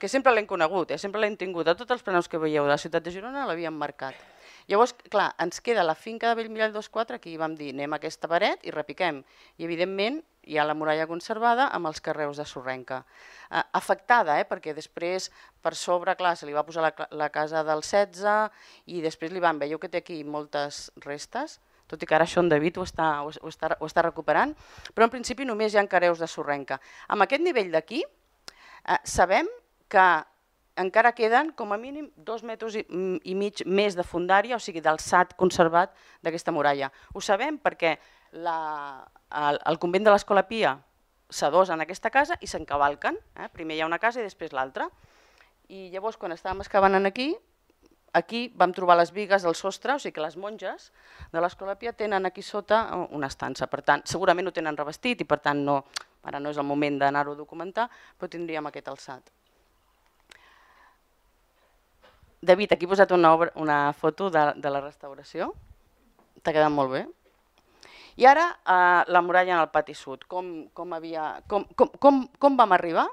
que sempre l'hem conegut, sempre l'hem tingut, a tots els plans que veieu de la ciutat de Girona l'havíem marcat. Llavors, clar, ens queda la finca de Bellmirall 2-4, aquí vam dir anem a aquesta paret i repiquem. I evidentment hi ha la muralla conservada amb els carreus de sorrenca. Afectada, perquè després per sobre, clar, se li va posar la casa del 16 i després li van, veieu que té aquí moltes restes, tot i que ara això en David ho està recuperant, però en principi només hi ha carreus de sorrenca. Amb aquest nivell d'aquí sabem que encara queden com a mínim 2,5 metres més de fondària, o sigui d'alçat conservat d'aquesta muralla. Ho sabem perquè el convent de l'Escola Pia s'adosa en aquesta casa i s'encavalquen. Primer hi ha una casa i després l'altra. I llavors quan estàvem excavant aquí vam trobar les bigues del sostre, o sigui que les monges de l'Escola Pia tenen aquí sota una estança. Per tant, segurament ho tenen revestit i per tant ara no és el moment d'anar-ho a documentar, però tindríem aquest alçat. David, aquí he posat una foto de la restauració. T'ha quedat molt bé. I ara la muralla en el pati sud. Com vam arribar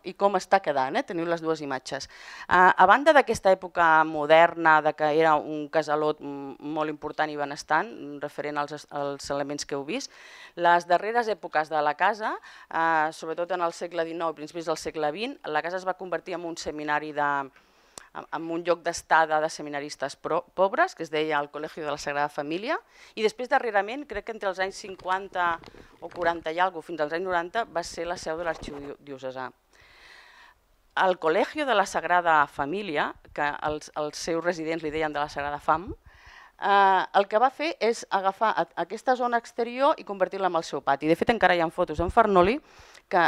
i com està quedant, teniu les dues imatges. A banda d'aquesta època moderna, que era un casalot molt important i benestant, referent als elements que heu vist, les darreres èpoques de la casa, sobretot en el segle XIX i principis del segle XX, la casa es va convertir en un seminari en un lloc d'estada de seminaristes pobres, que es deia el Col·legi de la Sagrada Família, i després darrerament, crec que entre els anys 50 o 40 i alguna cosa, fins als anys 90, va ser la seu de l'Arxiu Diocesà. El Col·legi de la Sagrada Família, que els seus residents li deien de la Sagrada Fam, el que va fer és agafar aquesta zona exterior i convertir-la en el seu pati. De fet, encara hi ha fotos en Farnoli, que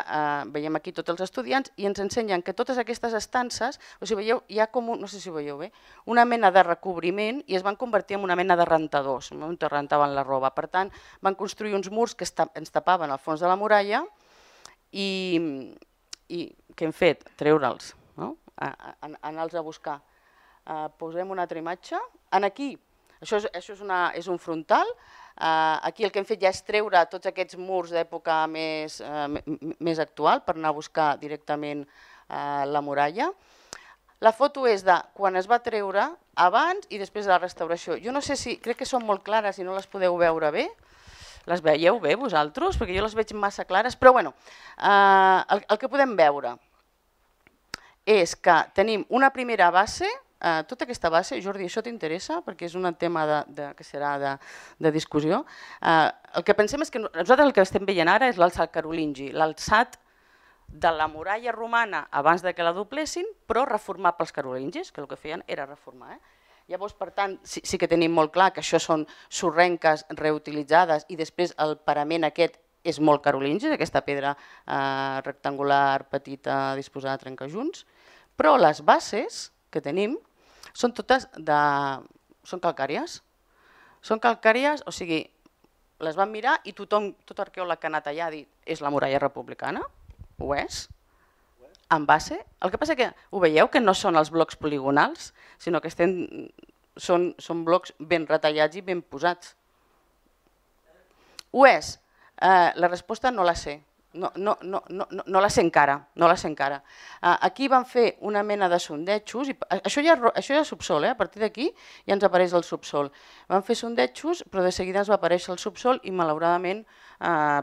veiem aquí tots els estudiants, i ens ensenyen que totes aquestes estances, o sigui, veieu, hi ha com, no sé si ho veieu bé, una mena de recobriment i es van convertir en una mena de rentadors, on rentaven la roba. Per tant, van construir uns murs que ens tapaven al fons de la muralla i què hem fet? Treure'ls, anar-los a buscar. Posem una altra imatge. Aquí, això és un frontal. Aquí el que hem fet ja és treure tots aquests murs d'època més actual per anar a buscar directament la muralla. La foto és de quan es va treure, abans i després de la restauració. Jo no sé si, crec que són molt clares i no les podeu veure bé. Les veieu bé vosaltres? Perquè jo les veig massa clares, però bueno, el que podem veure és que tenim una primera base, tota aquesta base, Jordi, això t'interessa? Perquè és un tema que serà de discussió. El que pensem és que nosaltres el que estem veient ara és l'alçat carolingi, l'alçat de la muralla romana abans que la doblessin, però reformat pels carolingis, que el que feien era reformar. Llavors, per tant, sí que tenim molt clar que això són sorrenques reutilitzades i després el parament aquest és molt carolingi, aquesta pedra rectangular petita disposada a trencajunts, però les bases que tenim són totes són calcàries. Són calcàries, o sigui, les van mirar i tothom, tot arqueòleg que ha anat allà ha dit és la muralla republicana, ho és, en base. El que passa que ho veieu que no són els blocs poligonals, sinó que són blocs ben retallats i ben posats. Ho és? La resposta no la sé. No la sé encara. Aquí van fer una mena de sondejos, això ja és subsol, a partir d'aquí ja ens apareix el subsol. Van fer sondejos, però de seguida ens va aparèixer el subsol i malauradament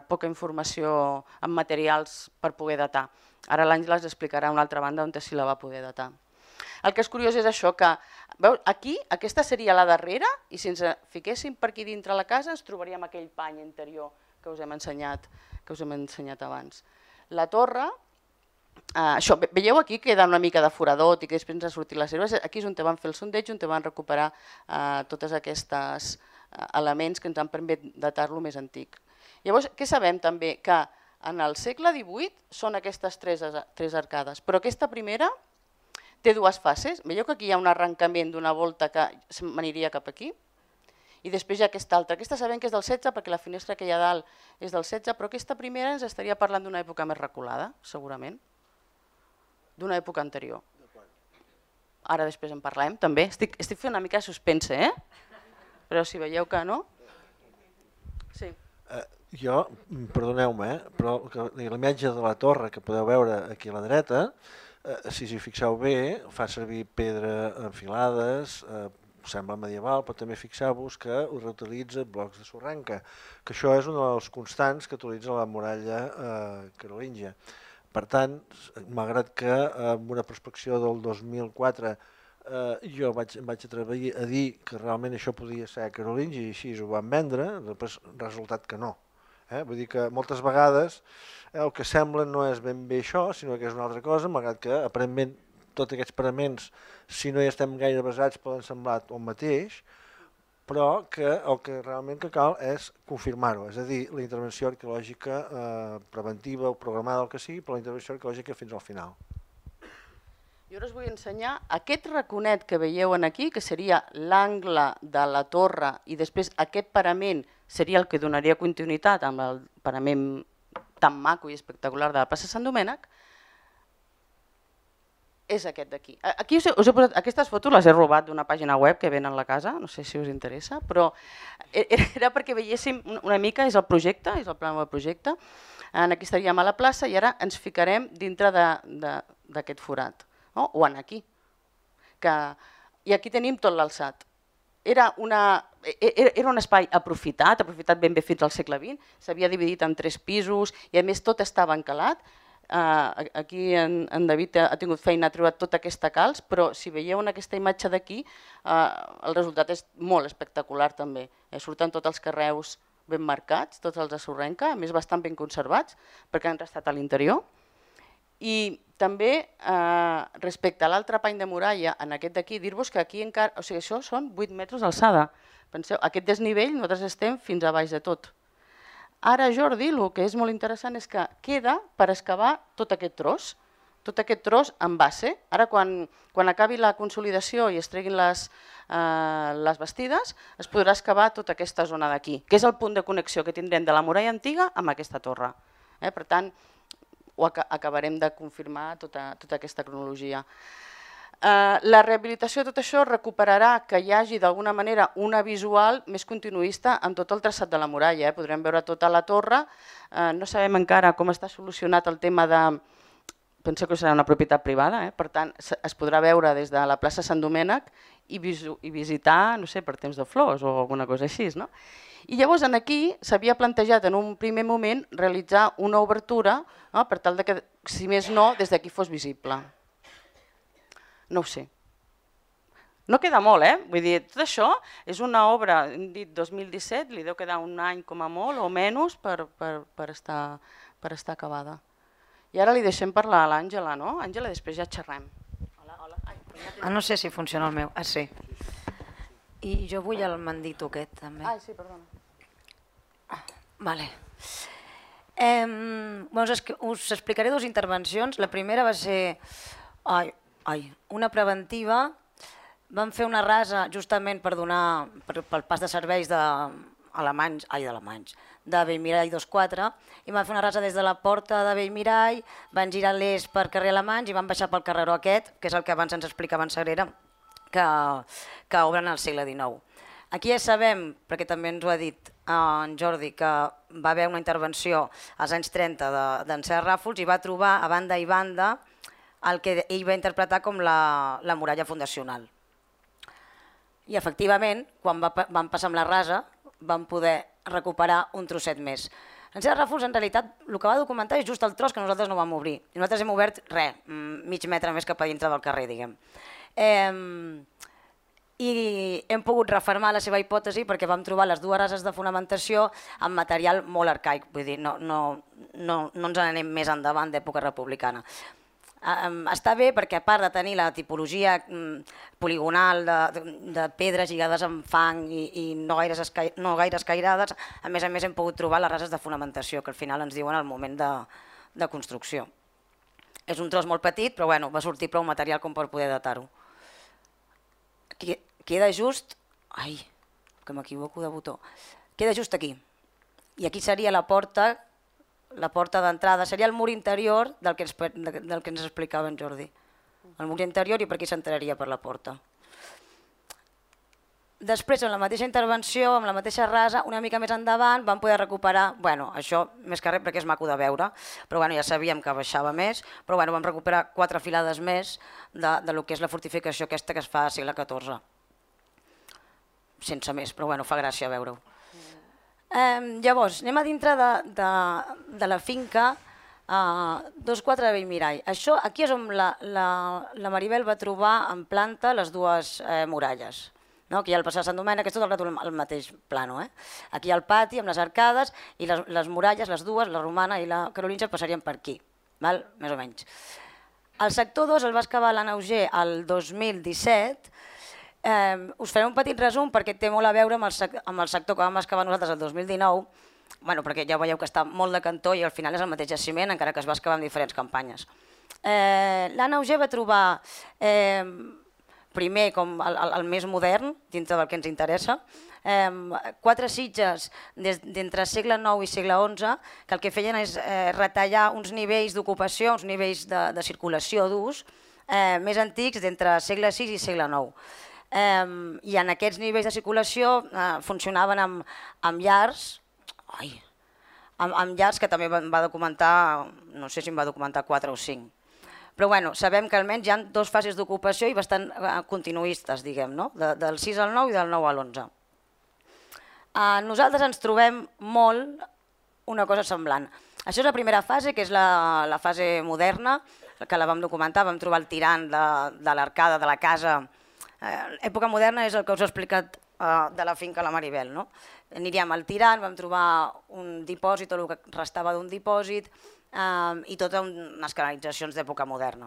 poca informació en materials per poder datar. Ara l'Àngela ens explicarà una altra banda on sí la va poder datar. El que és curiós és això, que aquí aquesta seria la darrera i si ens fiquéssim per aquí dintre la casa ens trobaríem aquell pany interior que us hem ensenyat abans. La torre, veieu aquí que queda una mica de foradot i que després ens ha sortit les herbes, aquí és on van fer el sondeig, on van recuperar tots aquests elements que ens han permès datar-lo més antic. Llavors, què sabem també? Que en el segle XVIII són aquestes tres arcades, però aquesta primera té dues fases. Veieu que aquí hi ha un arrencament d'una volta que m'aniria cap aquí i després hi ha aquesta altra. Aquesta sabem que és del 16 perquè la finestra que hi ha dalt és del 16, però aquesta primera ens estaria parlant d'una època més reculada, segurament, d'una època anterior. Ara després en parlem, també. Estic fent una mica de suspense, però si veieu que no... Sí. Jo, perdoneu-me, però la imatge de la torre que podeu veure aquí a la dreta, si us hi fixeu bé, fa servir pedra enfilades, sembla medieval, però també fixeu-vos que reutilitza blocs de sorrenca, que això és un dels constants que utilitza la muralla carolíngia. Per tant, malgrat que amb una prospecció del 2004 jo em vaig atrevir a dir que realment això podia ser carolingi i així ho van vendre, després resultat que no. Vull dir que moltes vegades el que sembla no és ben bé això, sinó que és una altra cosa, malgrat que aparentment tots aquests paraments, si no hi estem gaire basats, poden semblar el mateix, però que el que realment que cal és confirmar-ho, és a dir, la intervenció arqueològica preventiva o programada, el que sigui, però la intervenció arqueològica fins al final. Jo us vull ensenyar aquest raconet que veieu aquí, que seria l'angle de la torre i després aquest parament seria el que donaria continuïtat amb el parament tan maco i espectacular de la plaça Sant Domènec, és aquest d'aquí. Aquí us he posat, aquestes fotos les he robat d'una pàgina web que venen a la casa, no sé si us interessa, però era perquè veiéssim una mica, és el projecte, és el pla del projecte. Aquí estaríem a la plaça i ara ens ficarem dintre d'aquest forat, o en aquí. I aquí tenim tot l'alçat. Era un espai aprofitat ben bé fins al segle XX, s'havia dividit en 3 pisos i a més tot estava encalat. Aquí en David ha tingut feina, ha trobat tota aquesta calç, però si veieu en aquesta imatge d'aquí el resultat és molt espectacular també. Surten tots els carreus ben marcats, tots els de sorrenca, a més bastant ben conservats perquè han restat a l'interior. I també respecte a l'altre pany de muralla, en aquest d'aquí, dir-vos que aquí encara, o sigui, això són 8 metres d'alçada. Penseu, aquest desnivell nosaltres estem fins a baix de tot. Ara, Jordi, el que és molt interessant és que queda per excavar tot aquest tros en base. Ara, quan acabi la consolidació i es treguin les bastides, es podrà excavar tota aquesta zona d'aquí, que és el punt de connexió que tindrem de la muralla antiga amb aquesta torre. Per tant, ho acabarem de confirmar tota aquesta cronologia. La rehabilitació de tot això recuperarà que hi hagi d'alguna manera una visual més continuista en tot el traçat de la muralla. Podrem veure tota la torre, no sabem encara com està solucionat el tema de... Penso que serà una propietat privada, per tant es podrà veure des de la plaça Sant Domènec i visitar, no sé, per temps de flors o alguna cosa així. I llavors aquí s'havia plantejat en un primer moment realitzar una obertura per tal que, si més no, des d'aquí fos visible. No ho sé. No queda molt, vull dir, tot això és una obra, hem dit 2017, li deu quedar un any com a molt o menys per estar acabada. I ara li deixem parlar a l'Àngela, no? Àngela, després ja xerrem. No sé si funciona el meu. Sí. I jo vull el mandito aquest, també. Sí, perdona. Vale. Us explicaré 2 intervencions. La primera va ser una preventiva. Vam fer una rasa justament per donar pel pas de serveis d'Alemanys, de Bellmirall 24, i vam fer una rasa des de la porta de Bellmirall, van girar l'est per carrer Alemanys i van baixar pel carreró aquest, que és el que abans ens explicava en Sagrera, que obren al segle XIX. Aquí ja sabem, perquè també ens ho ha dit en Jordi, que va haver una intervenció als anys 30 d'en Serra Ràfols i va trobar a banda i banda el que ell va interpretar com la muralla fundacional. I efectivament, quan vam passar amb la rasa, vam poder recuperar un trosset més. En Serra Ràfols, en realitat, el que va documentar és just el tros que nosaltres no vam obrir. I nosaltres hem obert res, mig metre més cap a dintre del carrer, diguem. I hem pogut refermar la seva hipòtesi perquè vam trobar les 2 rases de fonamentació amb material molt arcaic, vull dir, no ens n'anem més endavant d'època republicana. Està bé perquè a part de tenir la tipologia poligonal de pedres lligades amb fang i no gaire escairades, a més hem pogut trobar les rases de fonamentació que al final ens diuen al moment de construcció. És un tros molt petit, però va sortir prou material com per poder datar-ho. Queda just... Ai, que m'equivoco de botó. Queda just aquí. I aquí seria la porta d'entrada, seria el mur interior del que ens explicava en Jordi. El mur interior i per aquí s'entraria per la porta. Després, en la mateixa intervenció, amb la mateixa rasa, una mica més endavant, vam poder recuperar, això més que res perquè és maco de veure, però ja sabíem que baixava més, però vam recuperar 4 filades més del que és la fortificació aquesta que es fa al segle XIV. sense més, però bueno, fa gràcia veure-ho. Llavors, anem a dintre de la finca 24 de Bellmirall. Això, aquí és on la Maribel va trobar en planta les dues muralles. Aquí hi ha el passat Sant Domènec, és tot el rato el mateix plano. Aquí hi ha el pati amb les arcades i les muralles, les dues, la romana i la carolíngia, passarien per aquí, més o menys. El sector 2 el va excavar l'Anna Auger el 2017. Us faré un petit resum perquè té molt a veure amb el sector que vam excavar nosaltres el 2019, perquè ja veieu que està molt de cantó i al final és el mateix jaciment, encara que es va excavar en diferents campanyes. L'Anna Auger va trobar primer com el més modern, dintre del que ens interessa, 4 sitges d'entre segle IX i segle XI, que el que feien és retallar uns nivells d'ocupació, uns nivells de circulació d'ús més antics d'entre segle VI i segle IX. I en aquests nivells de circulació funcionaven amb llars, que també va documentar, no sé si en va documentar 4 o 5. Però sabem que almenys hi ha 2 fases d'ocupació i bastant continuistes, diguem, del 6 al 9 i del 9 a l'11. Nosaltres ens trobem molt una cosa semblant. Això és la primera fase, que és la fase moderna, que la vam documentar, vam trobar el tirant de l'arcada de la casa. Època moderna és el que us he explicat de la finca La Maribel. Aniríem al tirant, vam trobar un dipòsit o el que restava d'un dipòsit, i totes unes canalitzacions d'època moderna.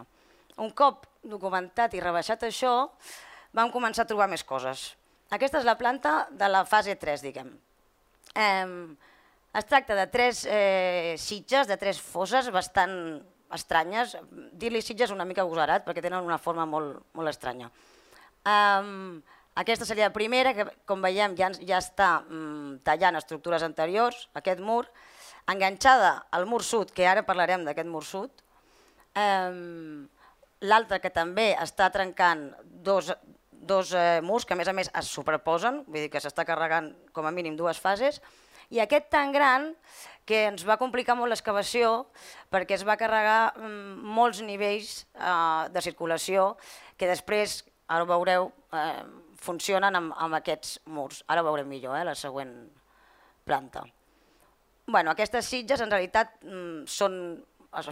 Un cop documentat i rebaixat això, vam començar a trobar més coses. Aquesta és la planta de la fase 3, diguem. Es tracta de 3 sitges, de 3 fosses bastant estranyes. Dir-li sitges una mica agosarat perquè tenen una forma molt estranya. Aquesta seria la primera, que com veiem ja està tallant estructures anteriors, aquest mur, enganxada al mur sud, que ara parlarem d'aquest mur sud. L'altra que també està trencant dos murs que a més es superposen, vull dir que s'està carregant com a mínim 2 fases, i aquest tan gran que ens va complicar molt l'excavació perquè es va carregar molts nivells de circulació que després, ara ho veureu, funcionen amb aquests murs. Ara ho veurem millor, la següent planta. Aquestes sitges en realitat es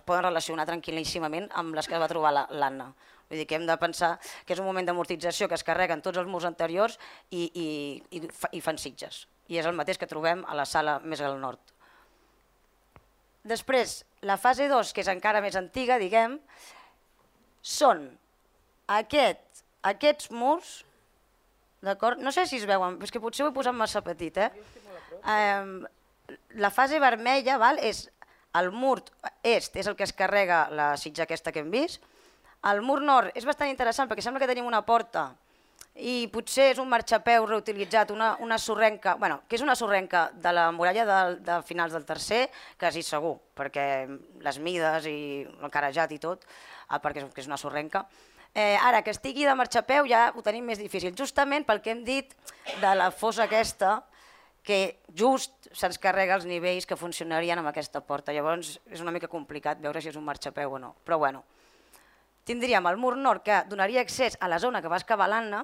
poden relacionar tranquil·líssimament amb les que va trobar l'Anna. Vull dir que hem de pensar que és un moment d'amortització que es carreguen tots els murs anteriors i fan sitges. I és el mateix que trobem a la sala més al nord. Després, la fase 2, que és encara més antiga, diguem, són aquests murs, d'acord? No sé si es veuen, és que potser ho he posat massa petit, La fase vermella és el mur est, és el que es carrega la sitja aquesta que hem vist. El mur nord és bastant interessant perquè sembla que tenim una porta i potser és un marxapeu reutilitzat, una sorrenca, que és una sorrenca de la muralla de finals del tercer, quasi segur, perquè les mides i el carejat i tot, perquè és una sorrenca. Ara, que estigui de marxapeu ja ho tenim més difícil, justament pel que hem dit de la fossa aquesta, que just se'ns carrega els nivells que funcionarien amb aquesta porta. Llavors és una mica complicat veure si és un marxapeu o no. Però bueno, tindríem el mur nord que donaria accés a la zona que va excavar l'Anna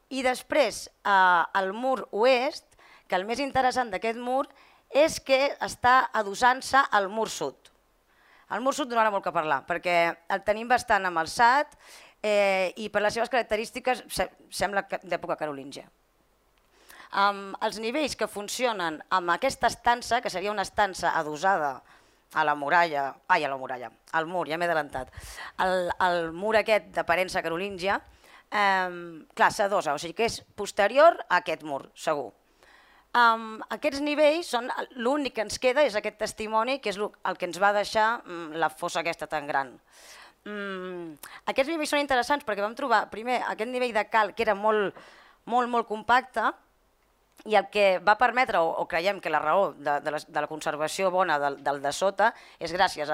i després el mur oest, que el més interessant d'aquest mur és que està adossant-se al mur sud. El mur sud donarà molt que parlar perquè el tenim bastant amb alçat i per les seves característiques sembla d'època carolíngia. Els nivells que funcionen amb aquesta estança, que seria una estança adossada a la muralla, al mur, ja m'he adelantat, el mur aquest d'aparença carolíngia, clar, s'adossa, o sigui que és posterior a aquest mur, segur. Aquests nivells són l'únic que ens queda, és aquest testimoni, que és el que ens va deixar la fossa aquesta tan gran. Aquests nivells són interessants perquè vam trobar primer aquest nivell de calc que era molt compacte, i el que va permetre, o creiem que la raó de la conservació bona del de sota és gràcies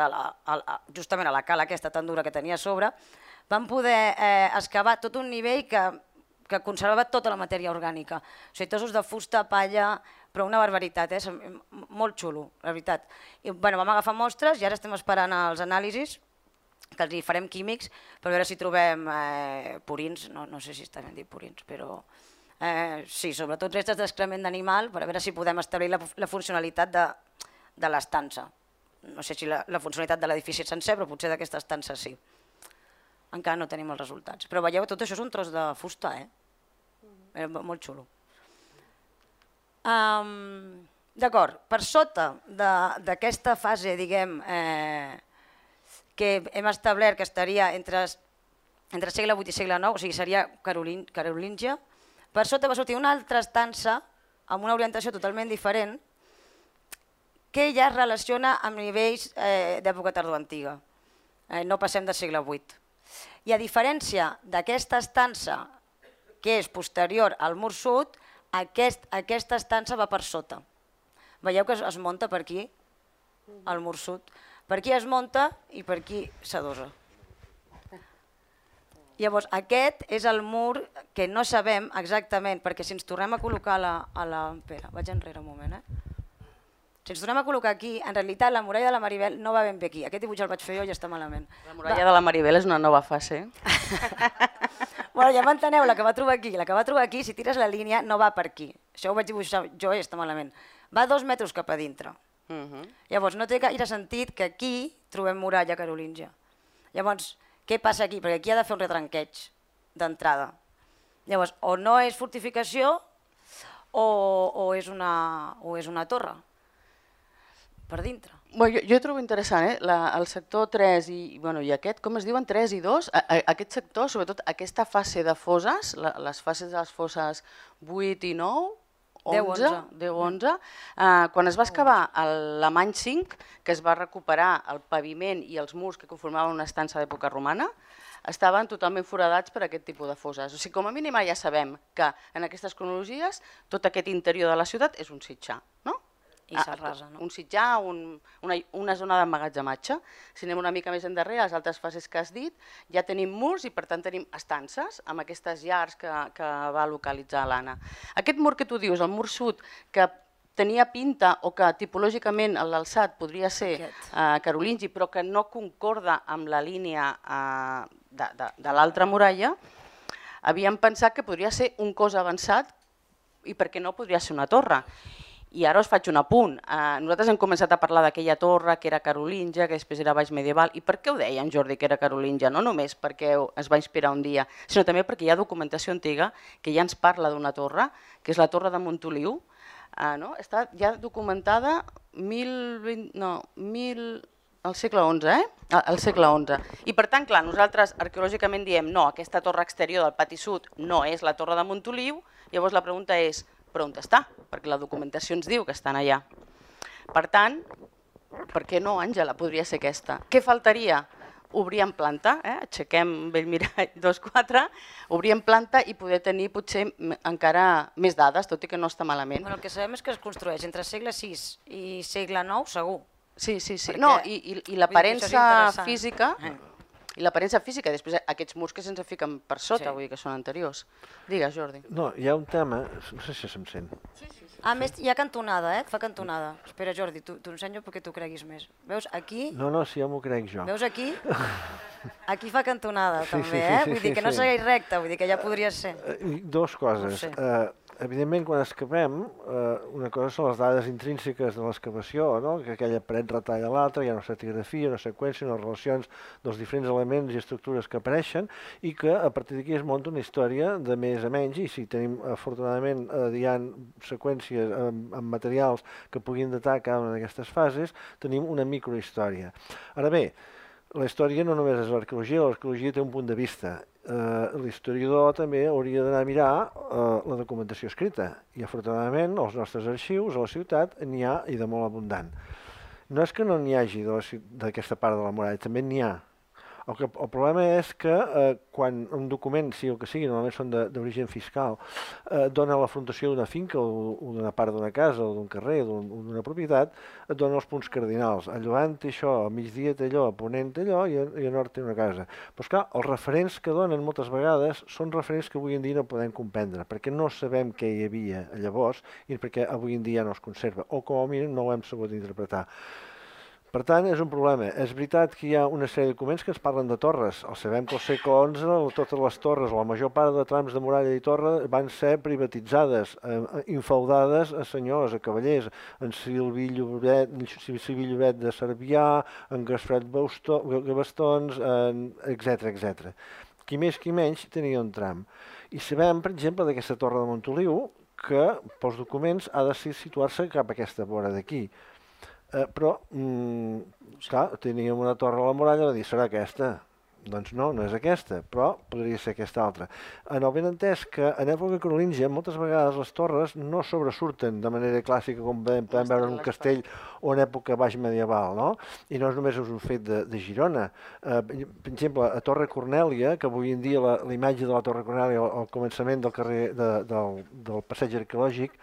justament a la cala aquesta tan dura que tenia a sobre, vam poder excavar tot un nivell que conservava tota la matèria orgànica. O sigui, trossos de fusta, palla, però una barbaritat, molt xulo, la veritat. Vam agafar mostres i ara estem esperant els anàlisis, que els hi farem químics, per veure si trobem purins, no sé si està ben dit purins, però Sí, sobretot restes d'excrement d'animal, per a veure si podem establir la funcionalitat de l'estança. No sé si la funcionalitat de l'edifici sencer, però potser d'aquesta estança sí. Encara no tenim els resultats. Però veieu, tot això és un tros de fusta, molt xulo. D'acord, per sota d'aquesta fase, diguem, que hem establert que estaria entre segle VIII i segle IX, o sigui, seria carolíngia, per sota va sortir una altra estança amb una orientació totalment diferent que ja es relaciona amb nivells d'època tardoantiga. No passem del segle VIII. I a diferència d'aquesta estança que és posterior al mur sud, aquesta estança va per sota. Veieu que es munta per aquí, al mur sud. Per aquí es munta i per aquí s'adosa. Llavors, aquest és el mur que no sabem exactament, perquè si ens tornem a col·locar Espera, vaig enrere un moment, Si ens tornem a col·locar aquí, en realitat la muralla de la Maribel no va ben bé aquí. Aquest dibuix el vaig fer jo i ja està malament. La muralla de la Maribel és una nova fase. Bueno, ja m'enteneu, la que va trobar aquí. La que va trobar aquí, si tires la línia, no va per aquí. Això ho vaig dibuixar jo i està malament. Va 2 metres cap a dintre. Llavors, no té gaire sentit que aquí trobem muralla carolíngia. Llavors, què passa aquí? Perquè aquí ha de fer un retranqueig d'entrada. Llavors, o no és fortificació o és una torre per dintre. Jo trobo interessant, el sector 3 i aquest, com es diuen, 3 i 2, aquest sector, sobretot aquesta fase de fosses, les fases de les fosses 8 i 9, 10-11, quan es va excavar l'Alemany 5, que es va recuperar el paviment i els murs que conformaven una estança d'època romana, estaven totalment foradats per aquest tipus de fosses. O sigui, com a mínim ja sabem que en aquestes cronologies tot aquest interior de la ciutat és un sitjar, no? I s'arrasa, no? Un sitjar, una zona d'emmagatzematge. Si anem una mica més endarrere, a les altres fases que has dit, ja tenim murs i per tant tenim estances amb aquestes llars que va localitzar l'Anna. Aquest mur que tu dius, el mur sud, que tenia pinta o que tipològicament l'alçat podria ser carolingi, però que no concorda amb la línia de l'altra muralla, havíem pensat que podria ser un cos avançat i perquè no podria ser una torre. I ara us faig un apunt. Nosaltres hem començat a parlar d'aquella torre que era carolíngia, que després era baix medieval. I per què ho deia en Jordi que era carolíngia? No només perquè es va inspirar un dia, sinó també perquè hi ha documentació antiga que ja ens parla d'una torre, que és la torre de Montoliu. Està ja documentada al segle XI, al segle XI. I per tant, clar, nosaltres arqueològicament diem no, aquesta torre exterior del pati sud no és la torre de Montoliu, llavors la pregunta és però on està? Perquè la documentació ens diu que estan allà. Per tant, per què no, Àngela, podria ser aquesta? Què faltaria? Obrir en planta, aixequem Bellmirall 2-4, obrir en planta i poder tenir potser encara més dades, tot i que no està malament. El que sabem és que es construeix entre segle VI i segle IX, segur. Sí. No, i l'aparença física... I l'aparença física, després aquests murs que se'ns fiquen per sota, vull dir que són anteriors. Digues, Jordi. No, hi ha un tema, no sé si se'm sent. A més, hi ha cantonada, fa cantonada. Espera, Jordi, t'ho ensenyo perquè t'ho creguis més. Veus, aquí... No, sí, ja m'ho crec jo. Veus aquí? Aquí fa cantonada, també, Vull dir que no segueix recte, vull dir que ja podria ser. Dues coses. Evidentment, quan excavem, una cosa són les dades intrínseques de l'excavació, que aquella paret retalla l'altra, hi ha una estratigrafia, una seqüència, unes relacions dels diferents elements i estructures que apareixen i que a partir d'aquí es munta una història de més a menys i si tenim, afortunadament, hi ha seqüències amb materials que puguin datar cada una d'aquestes fases, tenim una microhistòria. Ara bé, la història no només és l'arqueologia té un punt de vista. L'historiador també hauria d'anar a mirar la documentació escrita i afortunadament als nostres arxius a la ciutat n'hi ha i de molt abundant. No és que no n'hi hagi d'aquesta part de la muralla, també n'hi ha. El problema és que quan un document, sigui el que sigui, normalment són d'origen fiscal, dona l'afrontació d'una finca o d'una part d'una casa o d'un carrer o d'una propietat, et dona els punts cardinals. A llevant té això, a migdia té allò, a ponent té allò i a nord té una casa. Però esclar, els referents que donen moltes vegades són referents que avui en dia no podem comprendre, perquè no sabem què hi havia llavors i perquè avui en dia no es conserva, o com a mínim no ho hem sabut interpretar. Per tant, és un problema. És veritat que hi ha una sèrie de documents que ens parlen de torres. Sabem que al segle XI totes les torres, o la major part de trams de muralla i torre, van ser privatitzades, infeudades a senyors, a cavallers, en Silvi Llobet de Cervià, en Gaspret Gavastons, etc. Qui més qui menys tenia un tram. I sabem, per exemple, d'aquesta torre de Montoliu, que pels documents ha de situar-se cap a aquesta vora d'aquí. Però, clar, teníem una torre a la muralla, va dir, serà aquesta. Doncs no, no és aquesta, però podria ser aquesta altra. En el benentès que en època carolíngia moltes vegades les torres no sobresurten de manera clàssica com podem veure en un castell o en època baix medieval, no? I no és només un fet de Girona. Per exemple, a Torre Cornèlia, que avui en dia la imatge de la Torre Cornèlia al començament del carrer del passeig arqueològic,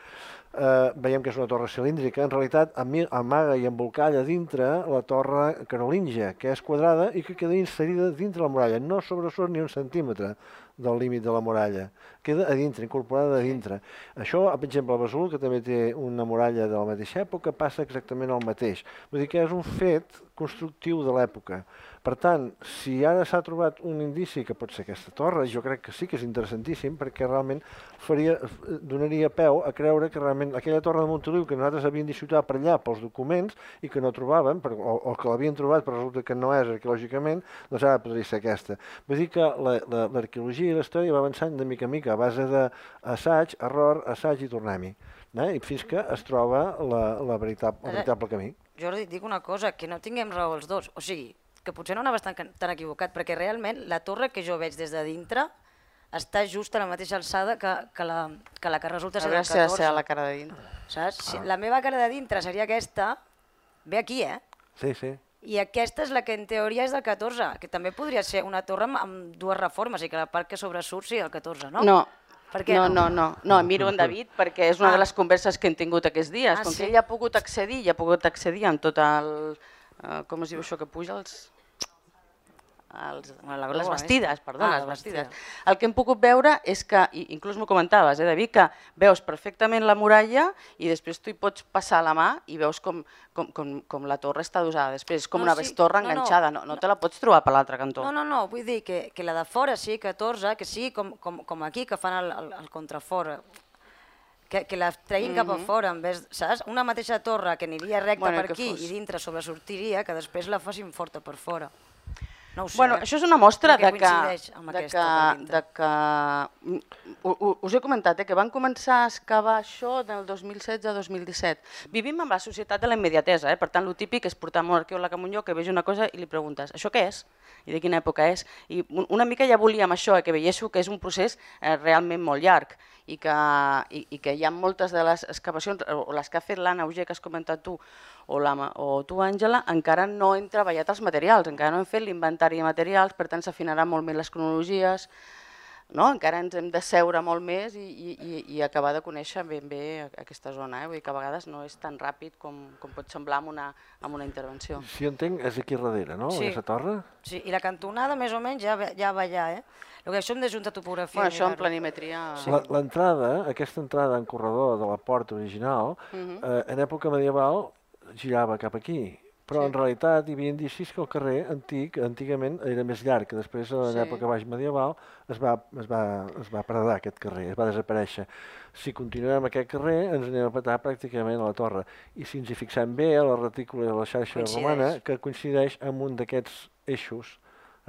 veiem que és una torre cilíndrica, en realitat amaga i embolcalla dintre la torre carolíngia, que és quadrada i que queda inserida dintre la muralla, no sobresurt ni un centímetre del límit de la muralla, queda a dintre, incorporada a dintre. Això, per exemple, a Besalú, que també té una muralla de la mateixa època, passa exactament el mateix. Vull dir que és un fet constructiu de l'època. Per tant, si ara s'ha trobat un indici que pot ser aquesta torre, jo crec que sí que és interessantíssim perquè realment donaria peu a creure que realment aquella torre de Montoliu que nosaltres havíem disfrutat per allà pels documents i que no trobàvem, o que l'havien trobat però resulta que no és arqueològicament, doncs ara podria ser aquesta. Vull dir que l'arqueologia i la història va avançant de mica en mica a base d'assaig, error, assaig i tornem-hi. I fins que es troba el veritable camí. Jordi, et dic una cosa, que no tinguem raó els dos. O sigui, que potser no anaves tan equivocat, perquè realment la torre que jo veig des de dintre està just a la mateixa alçada que la que resulta ser del 14. A veure si ha de ser la cara de dintre. Saps? La meva cara de dintre seria aquesta, ve aquí, Sí, sí. I aquesta és la que en teoria és del 14, que també podria ser una torre amb dues reformes, i que la part que sobresurt sigui el 14, no? No. Per què no? No, miro en David perquè és una de les converses que hem tingut aquests dies. Com que ell ha pogut accedir amb tot el... com es diu això que puja? Les bastides, les bastides. El que hem pogut veure és que, inclús m'ho comentaves, David, que veus perfectament la muralla i després tu hi pots passar la mà i veus com la torre està adosada. Després és com una bestorra enganxada, no te la pots trobar per l'altre cantó. No, vull dir que la de fora sigui 14, que sigui com aquí, que fan el contrafora, que la treguin cap a fora, en vez, saps? Una mateixa torre que aniria recta per aquí i dintre sobresortiria, que després la facin forta per fora. No ho sé. Això és una mostra de que... Us he comentat que van començar a excavar això del 2016-2017. Vivim en la societat de la immediatesa, per tant, el típic és portar un arqueòleg a un lloc que vegi una cosa i li preguntes això què és? I de quina època és? I una mica ja volíem això, que veiéssiu que és un procés realment molt llarg i que hi ha moltes de les excavacions, o les que ha fet l'Anna Auger, que has comentat tu, o tu, Àngela, encara no hem treballat els materials, encara no hem fet l'inventari de materials, per tant s'afinaran molt més les cronologies, encara ens hem de seure molt més i acabar de conèixer ben bé aquesta zona. Vull dir que a vegades no és tan ràpid com pot semblar amb una intervenció. Si jo entenc, és aquí darrere, no? Aquesta torre? Sí, i la cantonada més o menys ja va allà, Això hem de juntar topografia. Això en planimetria... L'entrada, aquesta entrada en corredor de la porta original, en època medieval girava cap aquí, però en realitat hi havia indicis que el carrer antigament era més llarg, que després en l'època baix medieval es va paradar aquest carrer, es va desaparèixer. Si continuem aquest carrer ens anem a petar pràcticament a la torre, i si ens hi fixem bé a la retícula de la xarxa romana, que coincideix amb un d'aquests eixos,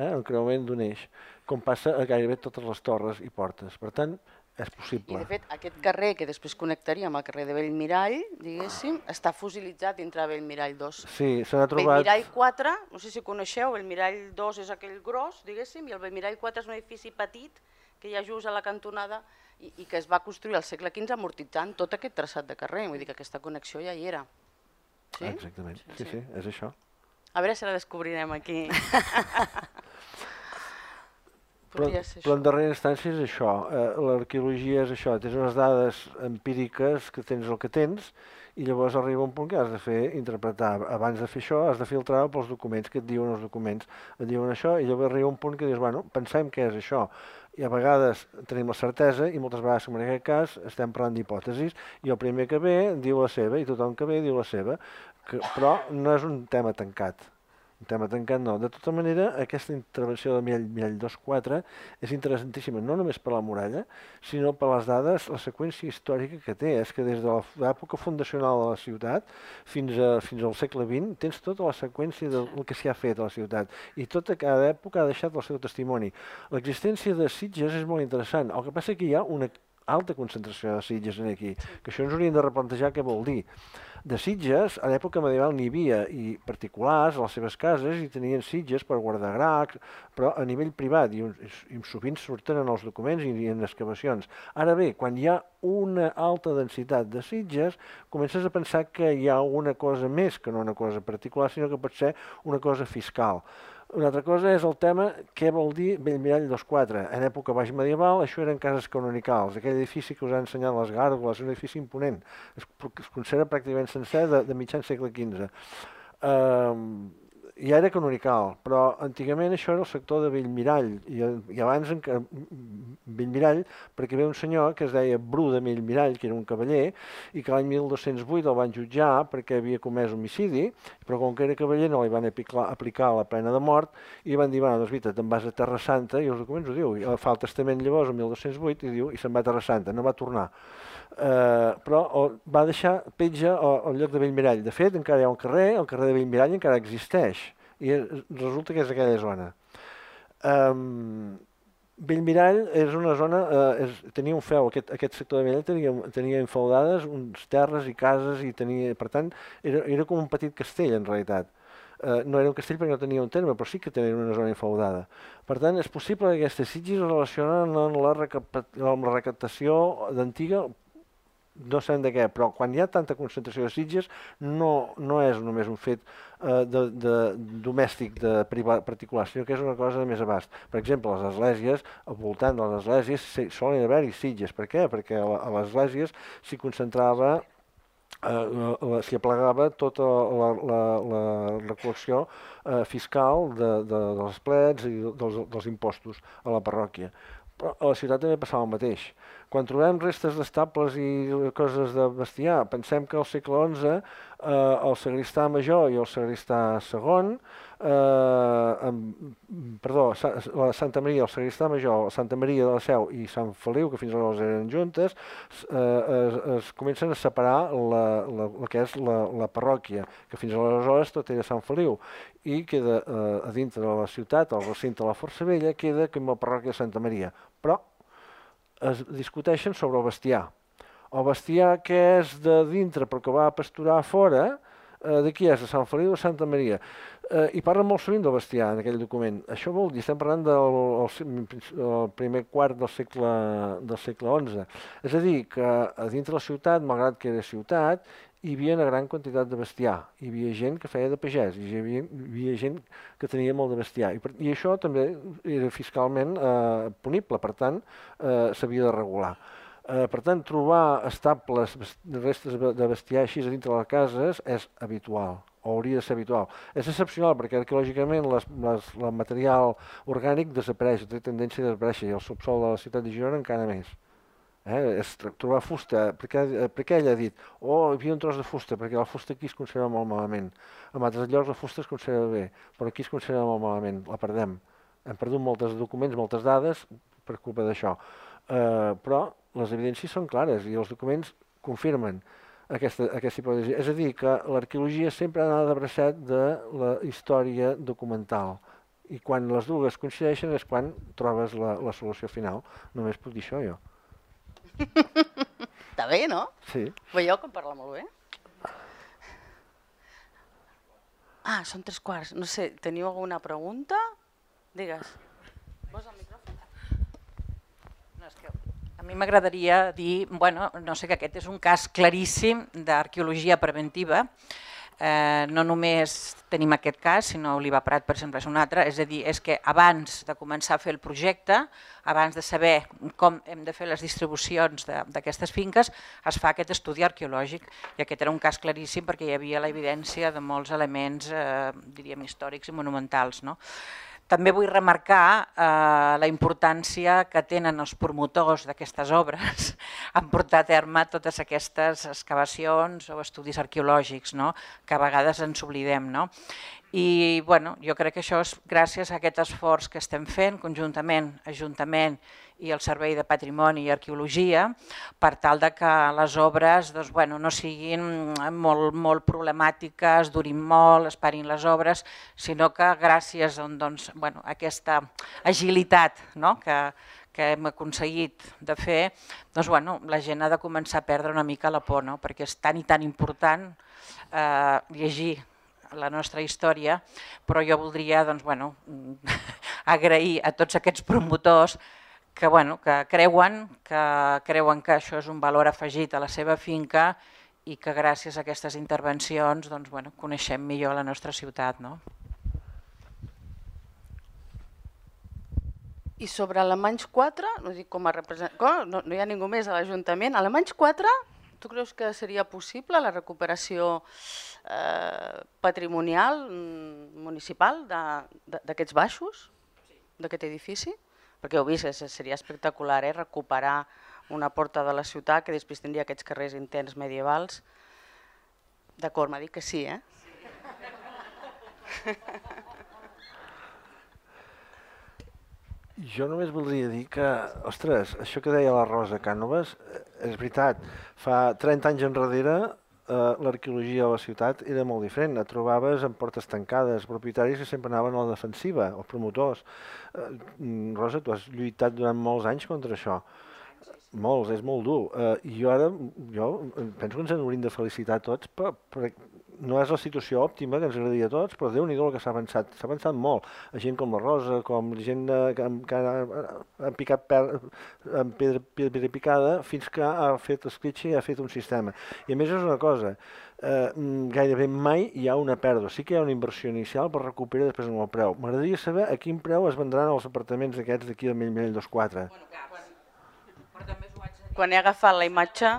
el creuament d'un eix, com passa a gairebé totes les torres i portes. Per tant, és possible. I de fet, aquest carrer que després connectaria amb el carrer de Bellmirall, diguéssim, està fosilitzat dintre de Bellmirall 2. Sí, se n'ha trobat... Bellmirall 4, no sé si coneixeu, Bellmirall 2 és aquell gros, diguéssim, i el Bellmirall 4 és un edifici petit que hi ha just a la cantonada i que es va construir al segle XV amortitzant tot aquest traçat de carrer, vull dir que aquesta connexió ja hi era. Exactament, sí, és això. A veure si la descobrirem aquí. Però en darrera instància és això, l'arqueologia és això, tens unes dades empíriques que tens el que tens i llavors arriba un punt que has de fer interpretar. Abans de fer això has de filtrar pels documents, que et diuen els documents, et diuen això i llavors arriba un punt que dius, bueno, pensem què és això. I a vegades tenim la certesa i moltes vegades, com en aquest cas, estem parlant d'hipòtesis i el primer que ve diu la seva i tothom que ve diu la seva. però no és un tema tancat. Un tema tancat no. De tota manera, aquesta intervenció de Mirall 2.4 és interessantíssima, no només per la muralla, sinó per les dades, la seqüència històrica que té. És que des de l'època fundacional de la ciutat fins al segle XX tens tota la seqüència del que s'hi ha fet a la ciutat. I tota cada època ha deixat el seu testimoni. L'existència de sitges és molt interessant. El que passa que hi ha una alta concentració de sitges aquí, que això ens hauríem de replantejar què vol dir. De sitges, a l'època medieval n'hi havia, i particulars a les seves cases i tenien sitges per guardar gra, però a nivell privat, i sovint surten en els documents i en excavacions. Ara bé, quan hi ha una alta densitat de sitges, comences a pensar que hi ha una cosa més que no una cosa particular, sinó que pot ser una cosa fiscal. Una altra cosa és el tema què vol dir Bellmirall 2.4. En època baix medieval això eren cases canonicals. Aquell edifici que us ha ensenyat les gàrgoles, un edifici imponent. Es considera pràcticament sencer de mitjan segle XV. Ja era canonical, però antigament això era el sector de Bellmirall, i abans Bellmirall, perquè ve un senyor que es deia Bru de Bellmirall, que era un cavaller, i que l'any 1208 el van jutjar perquè havia comès homicidi, però com que era cavaller no li van aplicar la pena de mort, i van dir, bueno, doncs vita, te'n vas a Terra Santa, i els documents ho diu, i fa el testament llavors el 1208, i se'n va a Terra Santa, no va tornar. Però va deixar petja al lloc de Bellmirall. De fet, encara hi ha un carrer, el carrer de Bellmirall encara existeix, i resulta que és aquella zona. Bellmirall és una zona, tenia un feu, aquest sector de Bellmirall tenia infeudades uns terres i cases, i per tant, era com un petit castell en realitat. No era un castell perquè no tenia un terme, però sí que tenia una zona infeudada. Per tant, és possible que aquestes sitges es relacionen amb la recaptació d'antiga, no sabem de què, però quan hi ha tanta concentració de sitges no és només un fet domèstic de particular, sinó que és una cosa de més abast. Per exemple, les esglésies, al voltant de les esglésies solen haver-hi sitges. Per què? Perquè a les esglésies s'hi concentrava, s'hi aplegava tota la recol·lecció fiscal dels plets i dels impostos a la parròquia. Però a la ciutat també passava el mateix. Quan trobem restes d'estables i coses de bestiar, pensem que al segle XI el sagristà major i el sagristà segon, la Santa Maria, el sagristà major, Santa Maria de la Seu i Sant Feliu, que fins aleshores eren juntes, es comencen a separar el que és la parròquia, que fins aleshores tot era Sant Feliu, i queda a dintre de la ciutat, al recinte de la Força Vella, queda com la parròquia de Santa Maria. Però es discuteixen sobre el bestiar. El bestiar que és de dintre però que va a pasturar a fora, de qui és? De Sant Feliu o de Santa Maria? I parlen molt sovint del bestiar en aquell document. Això vol dir, estem parlant del primer quart del segle XI. És a dir, que a dintre la ciutat, malgrat que era ciutat, hi havia una gran quantitat de bestiar. Hi havia gent que feia de pagès, hi havia gent que tenia molt de bestiar. I això també era fiscalment punible, per tant, s'havia de regular. Per tant, trobar estables, restes de bestiar així a dintre de les cases és habitual, o hauria de ser habitual. És excepcional perquè arqueològicament el material orgànic desapareix, té tendència a desaparèixer, i el subsol de la ciutat de Girona encara més. És trobar fusta, perquè ell ha dit, hi havia un tros de fusta, perquè la fusta aquí es conserva molt malament. En altres llocs la fusta es conserva bé, però aquí es conserva molt malament, la perdem. Hem perdut molts documents, moltes dades per culpa d'això. Però les evidències són clares i els documents confirmen aquesta hipòtesi. És a dir, que l'arqueologia sempre ha anat d'abraçat de la història documental. I quan les dues coincideixen és quan trobes la solució final. Només puc dir això jo. Està bé, no? Sí. Veieu que parla molt bé? Són 3:15. No sé, teniu alguna pregunta? Digues. Posa el micròfon. No, és que a mi m'agradaria dir, no sé, que aquest és un cas claríssim d'arqueologia preventiva. No només tenim aquest cas, sinó Oliva Prat, per exemple, és un altre. És a dir, és que abans de començar a fer el projecte, abans de saber com hem de fer les distribucions d'aquestes finques, es fa aquest estudi arqueològic. I aquest era un cas claríssim perquè hi havia l'evidència de molts elements, diríem, històrics i monumentals. també vull remarcar la importància que tenen els promotors d'aquestes obres en portar a terme totes aquestes excavacions o estudis arqueològics, no? Que a vegades ens oblidem. No? I bueno, jo crec que això és gràcies a aquest esforç que estem fent conjuntament, Ajuntament i el Servei de Patrimoni i Arqueologia, per tal de que les obres doncs, bueno, no siguin molt problemàtiques, durin molt, esperin les obres, sinó que gràcies doncs, bueno, a aquesta agilitat, no? que hem aconseguit de fer, doncs, bueno, la gent ha de començar a perdre una mica la por, no? Perquè és tan i tan important llegir la nostra història, però jo voldria doncs, bueno, agrair a tots aquests promotors que, bueno, que creuen que això és un valor afegit a la seva finca i que gràcies a aquestes intervencions doncs, bueno, coneixem millor la nostra ciutat. No? I sobre Alemanys 4, no dic com a representant, no hi ha ningú més a l'Ajuntament, Alemanys 4, tu creus que seria possible la recuperació patrimonial municipal d'aquests baixos, d'aquest edifici? Perquè heu vist, seria espectacular recuperar una porta de la ciutat que després tindria aquests carrers interns medievals. D'acord, m'ha dit que sí, Jo només voldria dir que, ostres, això que deia la Rosa Cànovas, és veritat, fa 30 anys enrere l'arqueologia a la ciutat era molt diferent, et trobaves amb portes tancades, propietaris que sempre anaven a la defensiva, els promotors. Rosa, tu has lluitat durant molts anys contra això. Molts, és molt dur. I jo penso que ens hauríem de felicitar tots, perquè no és la situació òptima que ens agradaria a tots, però Déu-n'hi-do el que s'ha avançat. S'ha avançat molt. Gent com la Rosa, com gent que ha picat amb pedra picada, fins que ha fet escletxa i ha fet un sistema. I a més és una cosa, gairebé mai hi ha una pèrdua. Sí que hi ha una inversió inicial per recuperar després amb el preu. M'agradaria saber a quin preu es vendran els apartaments aquests d'aquí del Mell 24. Quan he agafat la imatge...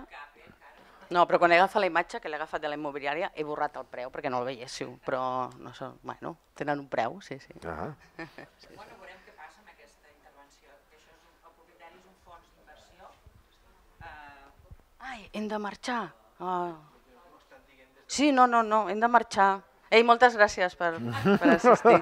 No, però quan he agafat la imatge que l'he agafat de la immobiliària he borrat el preu perquè no el veiéssiu, però no sé, bueno, tenen un preu, sí. Bueno, veurem què passa amb aquesta intervenció, que això és el propietari és un fons d'inversió. Ai, hem de marxar. Sí, no, hem de marxar. Ei, moltes gràcies per assistir.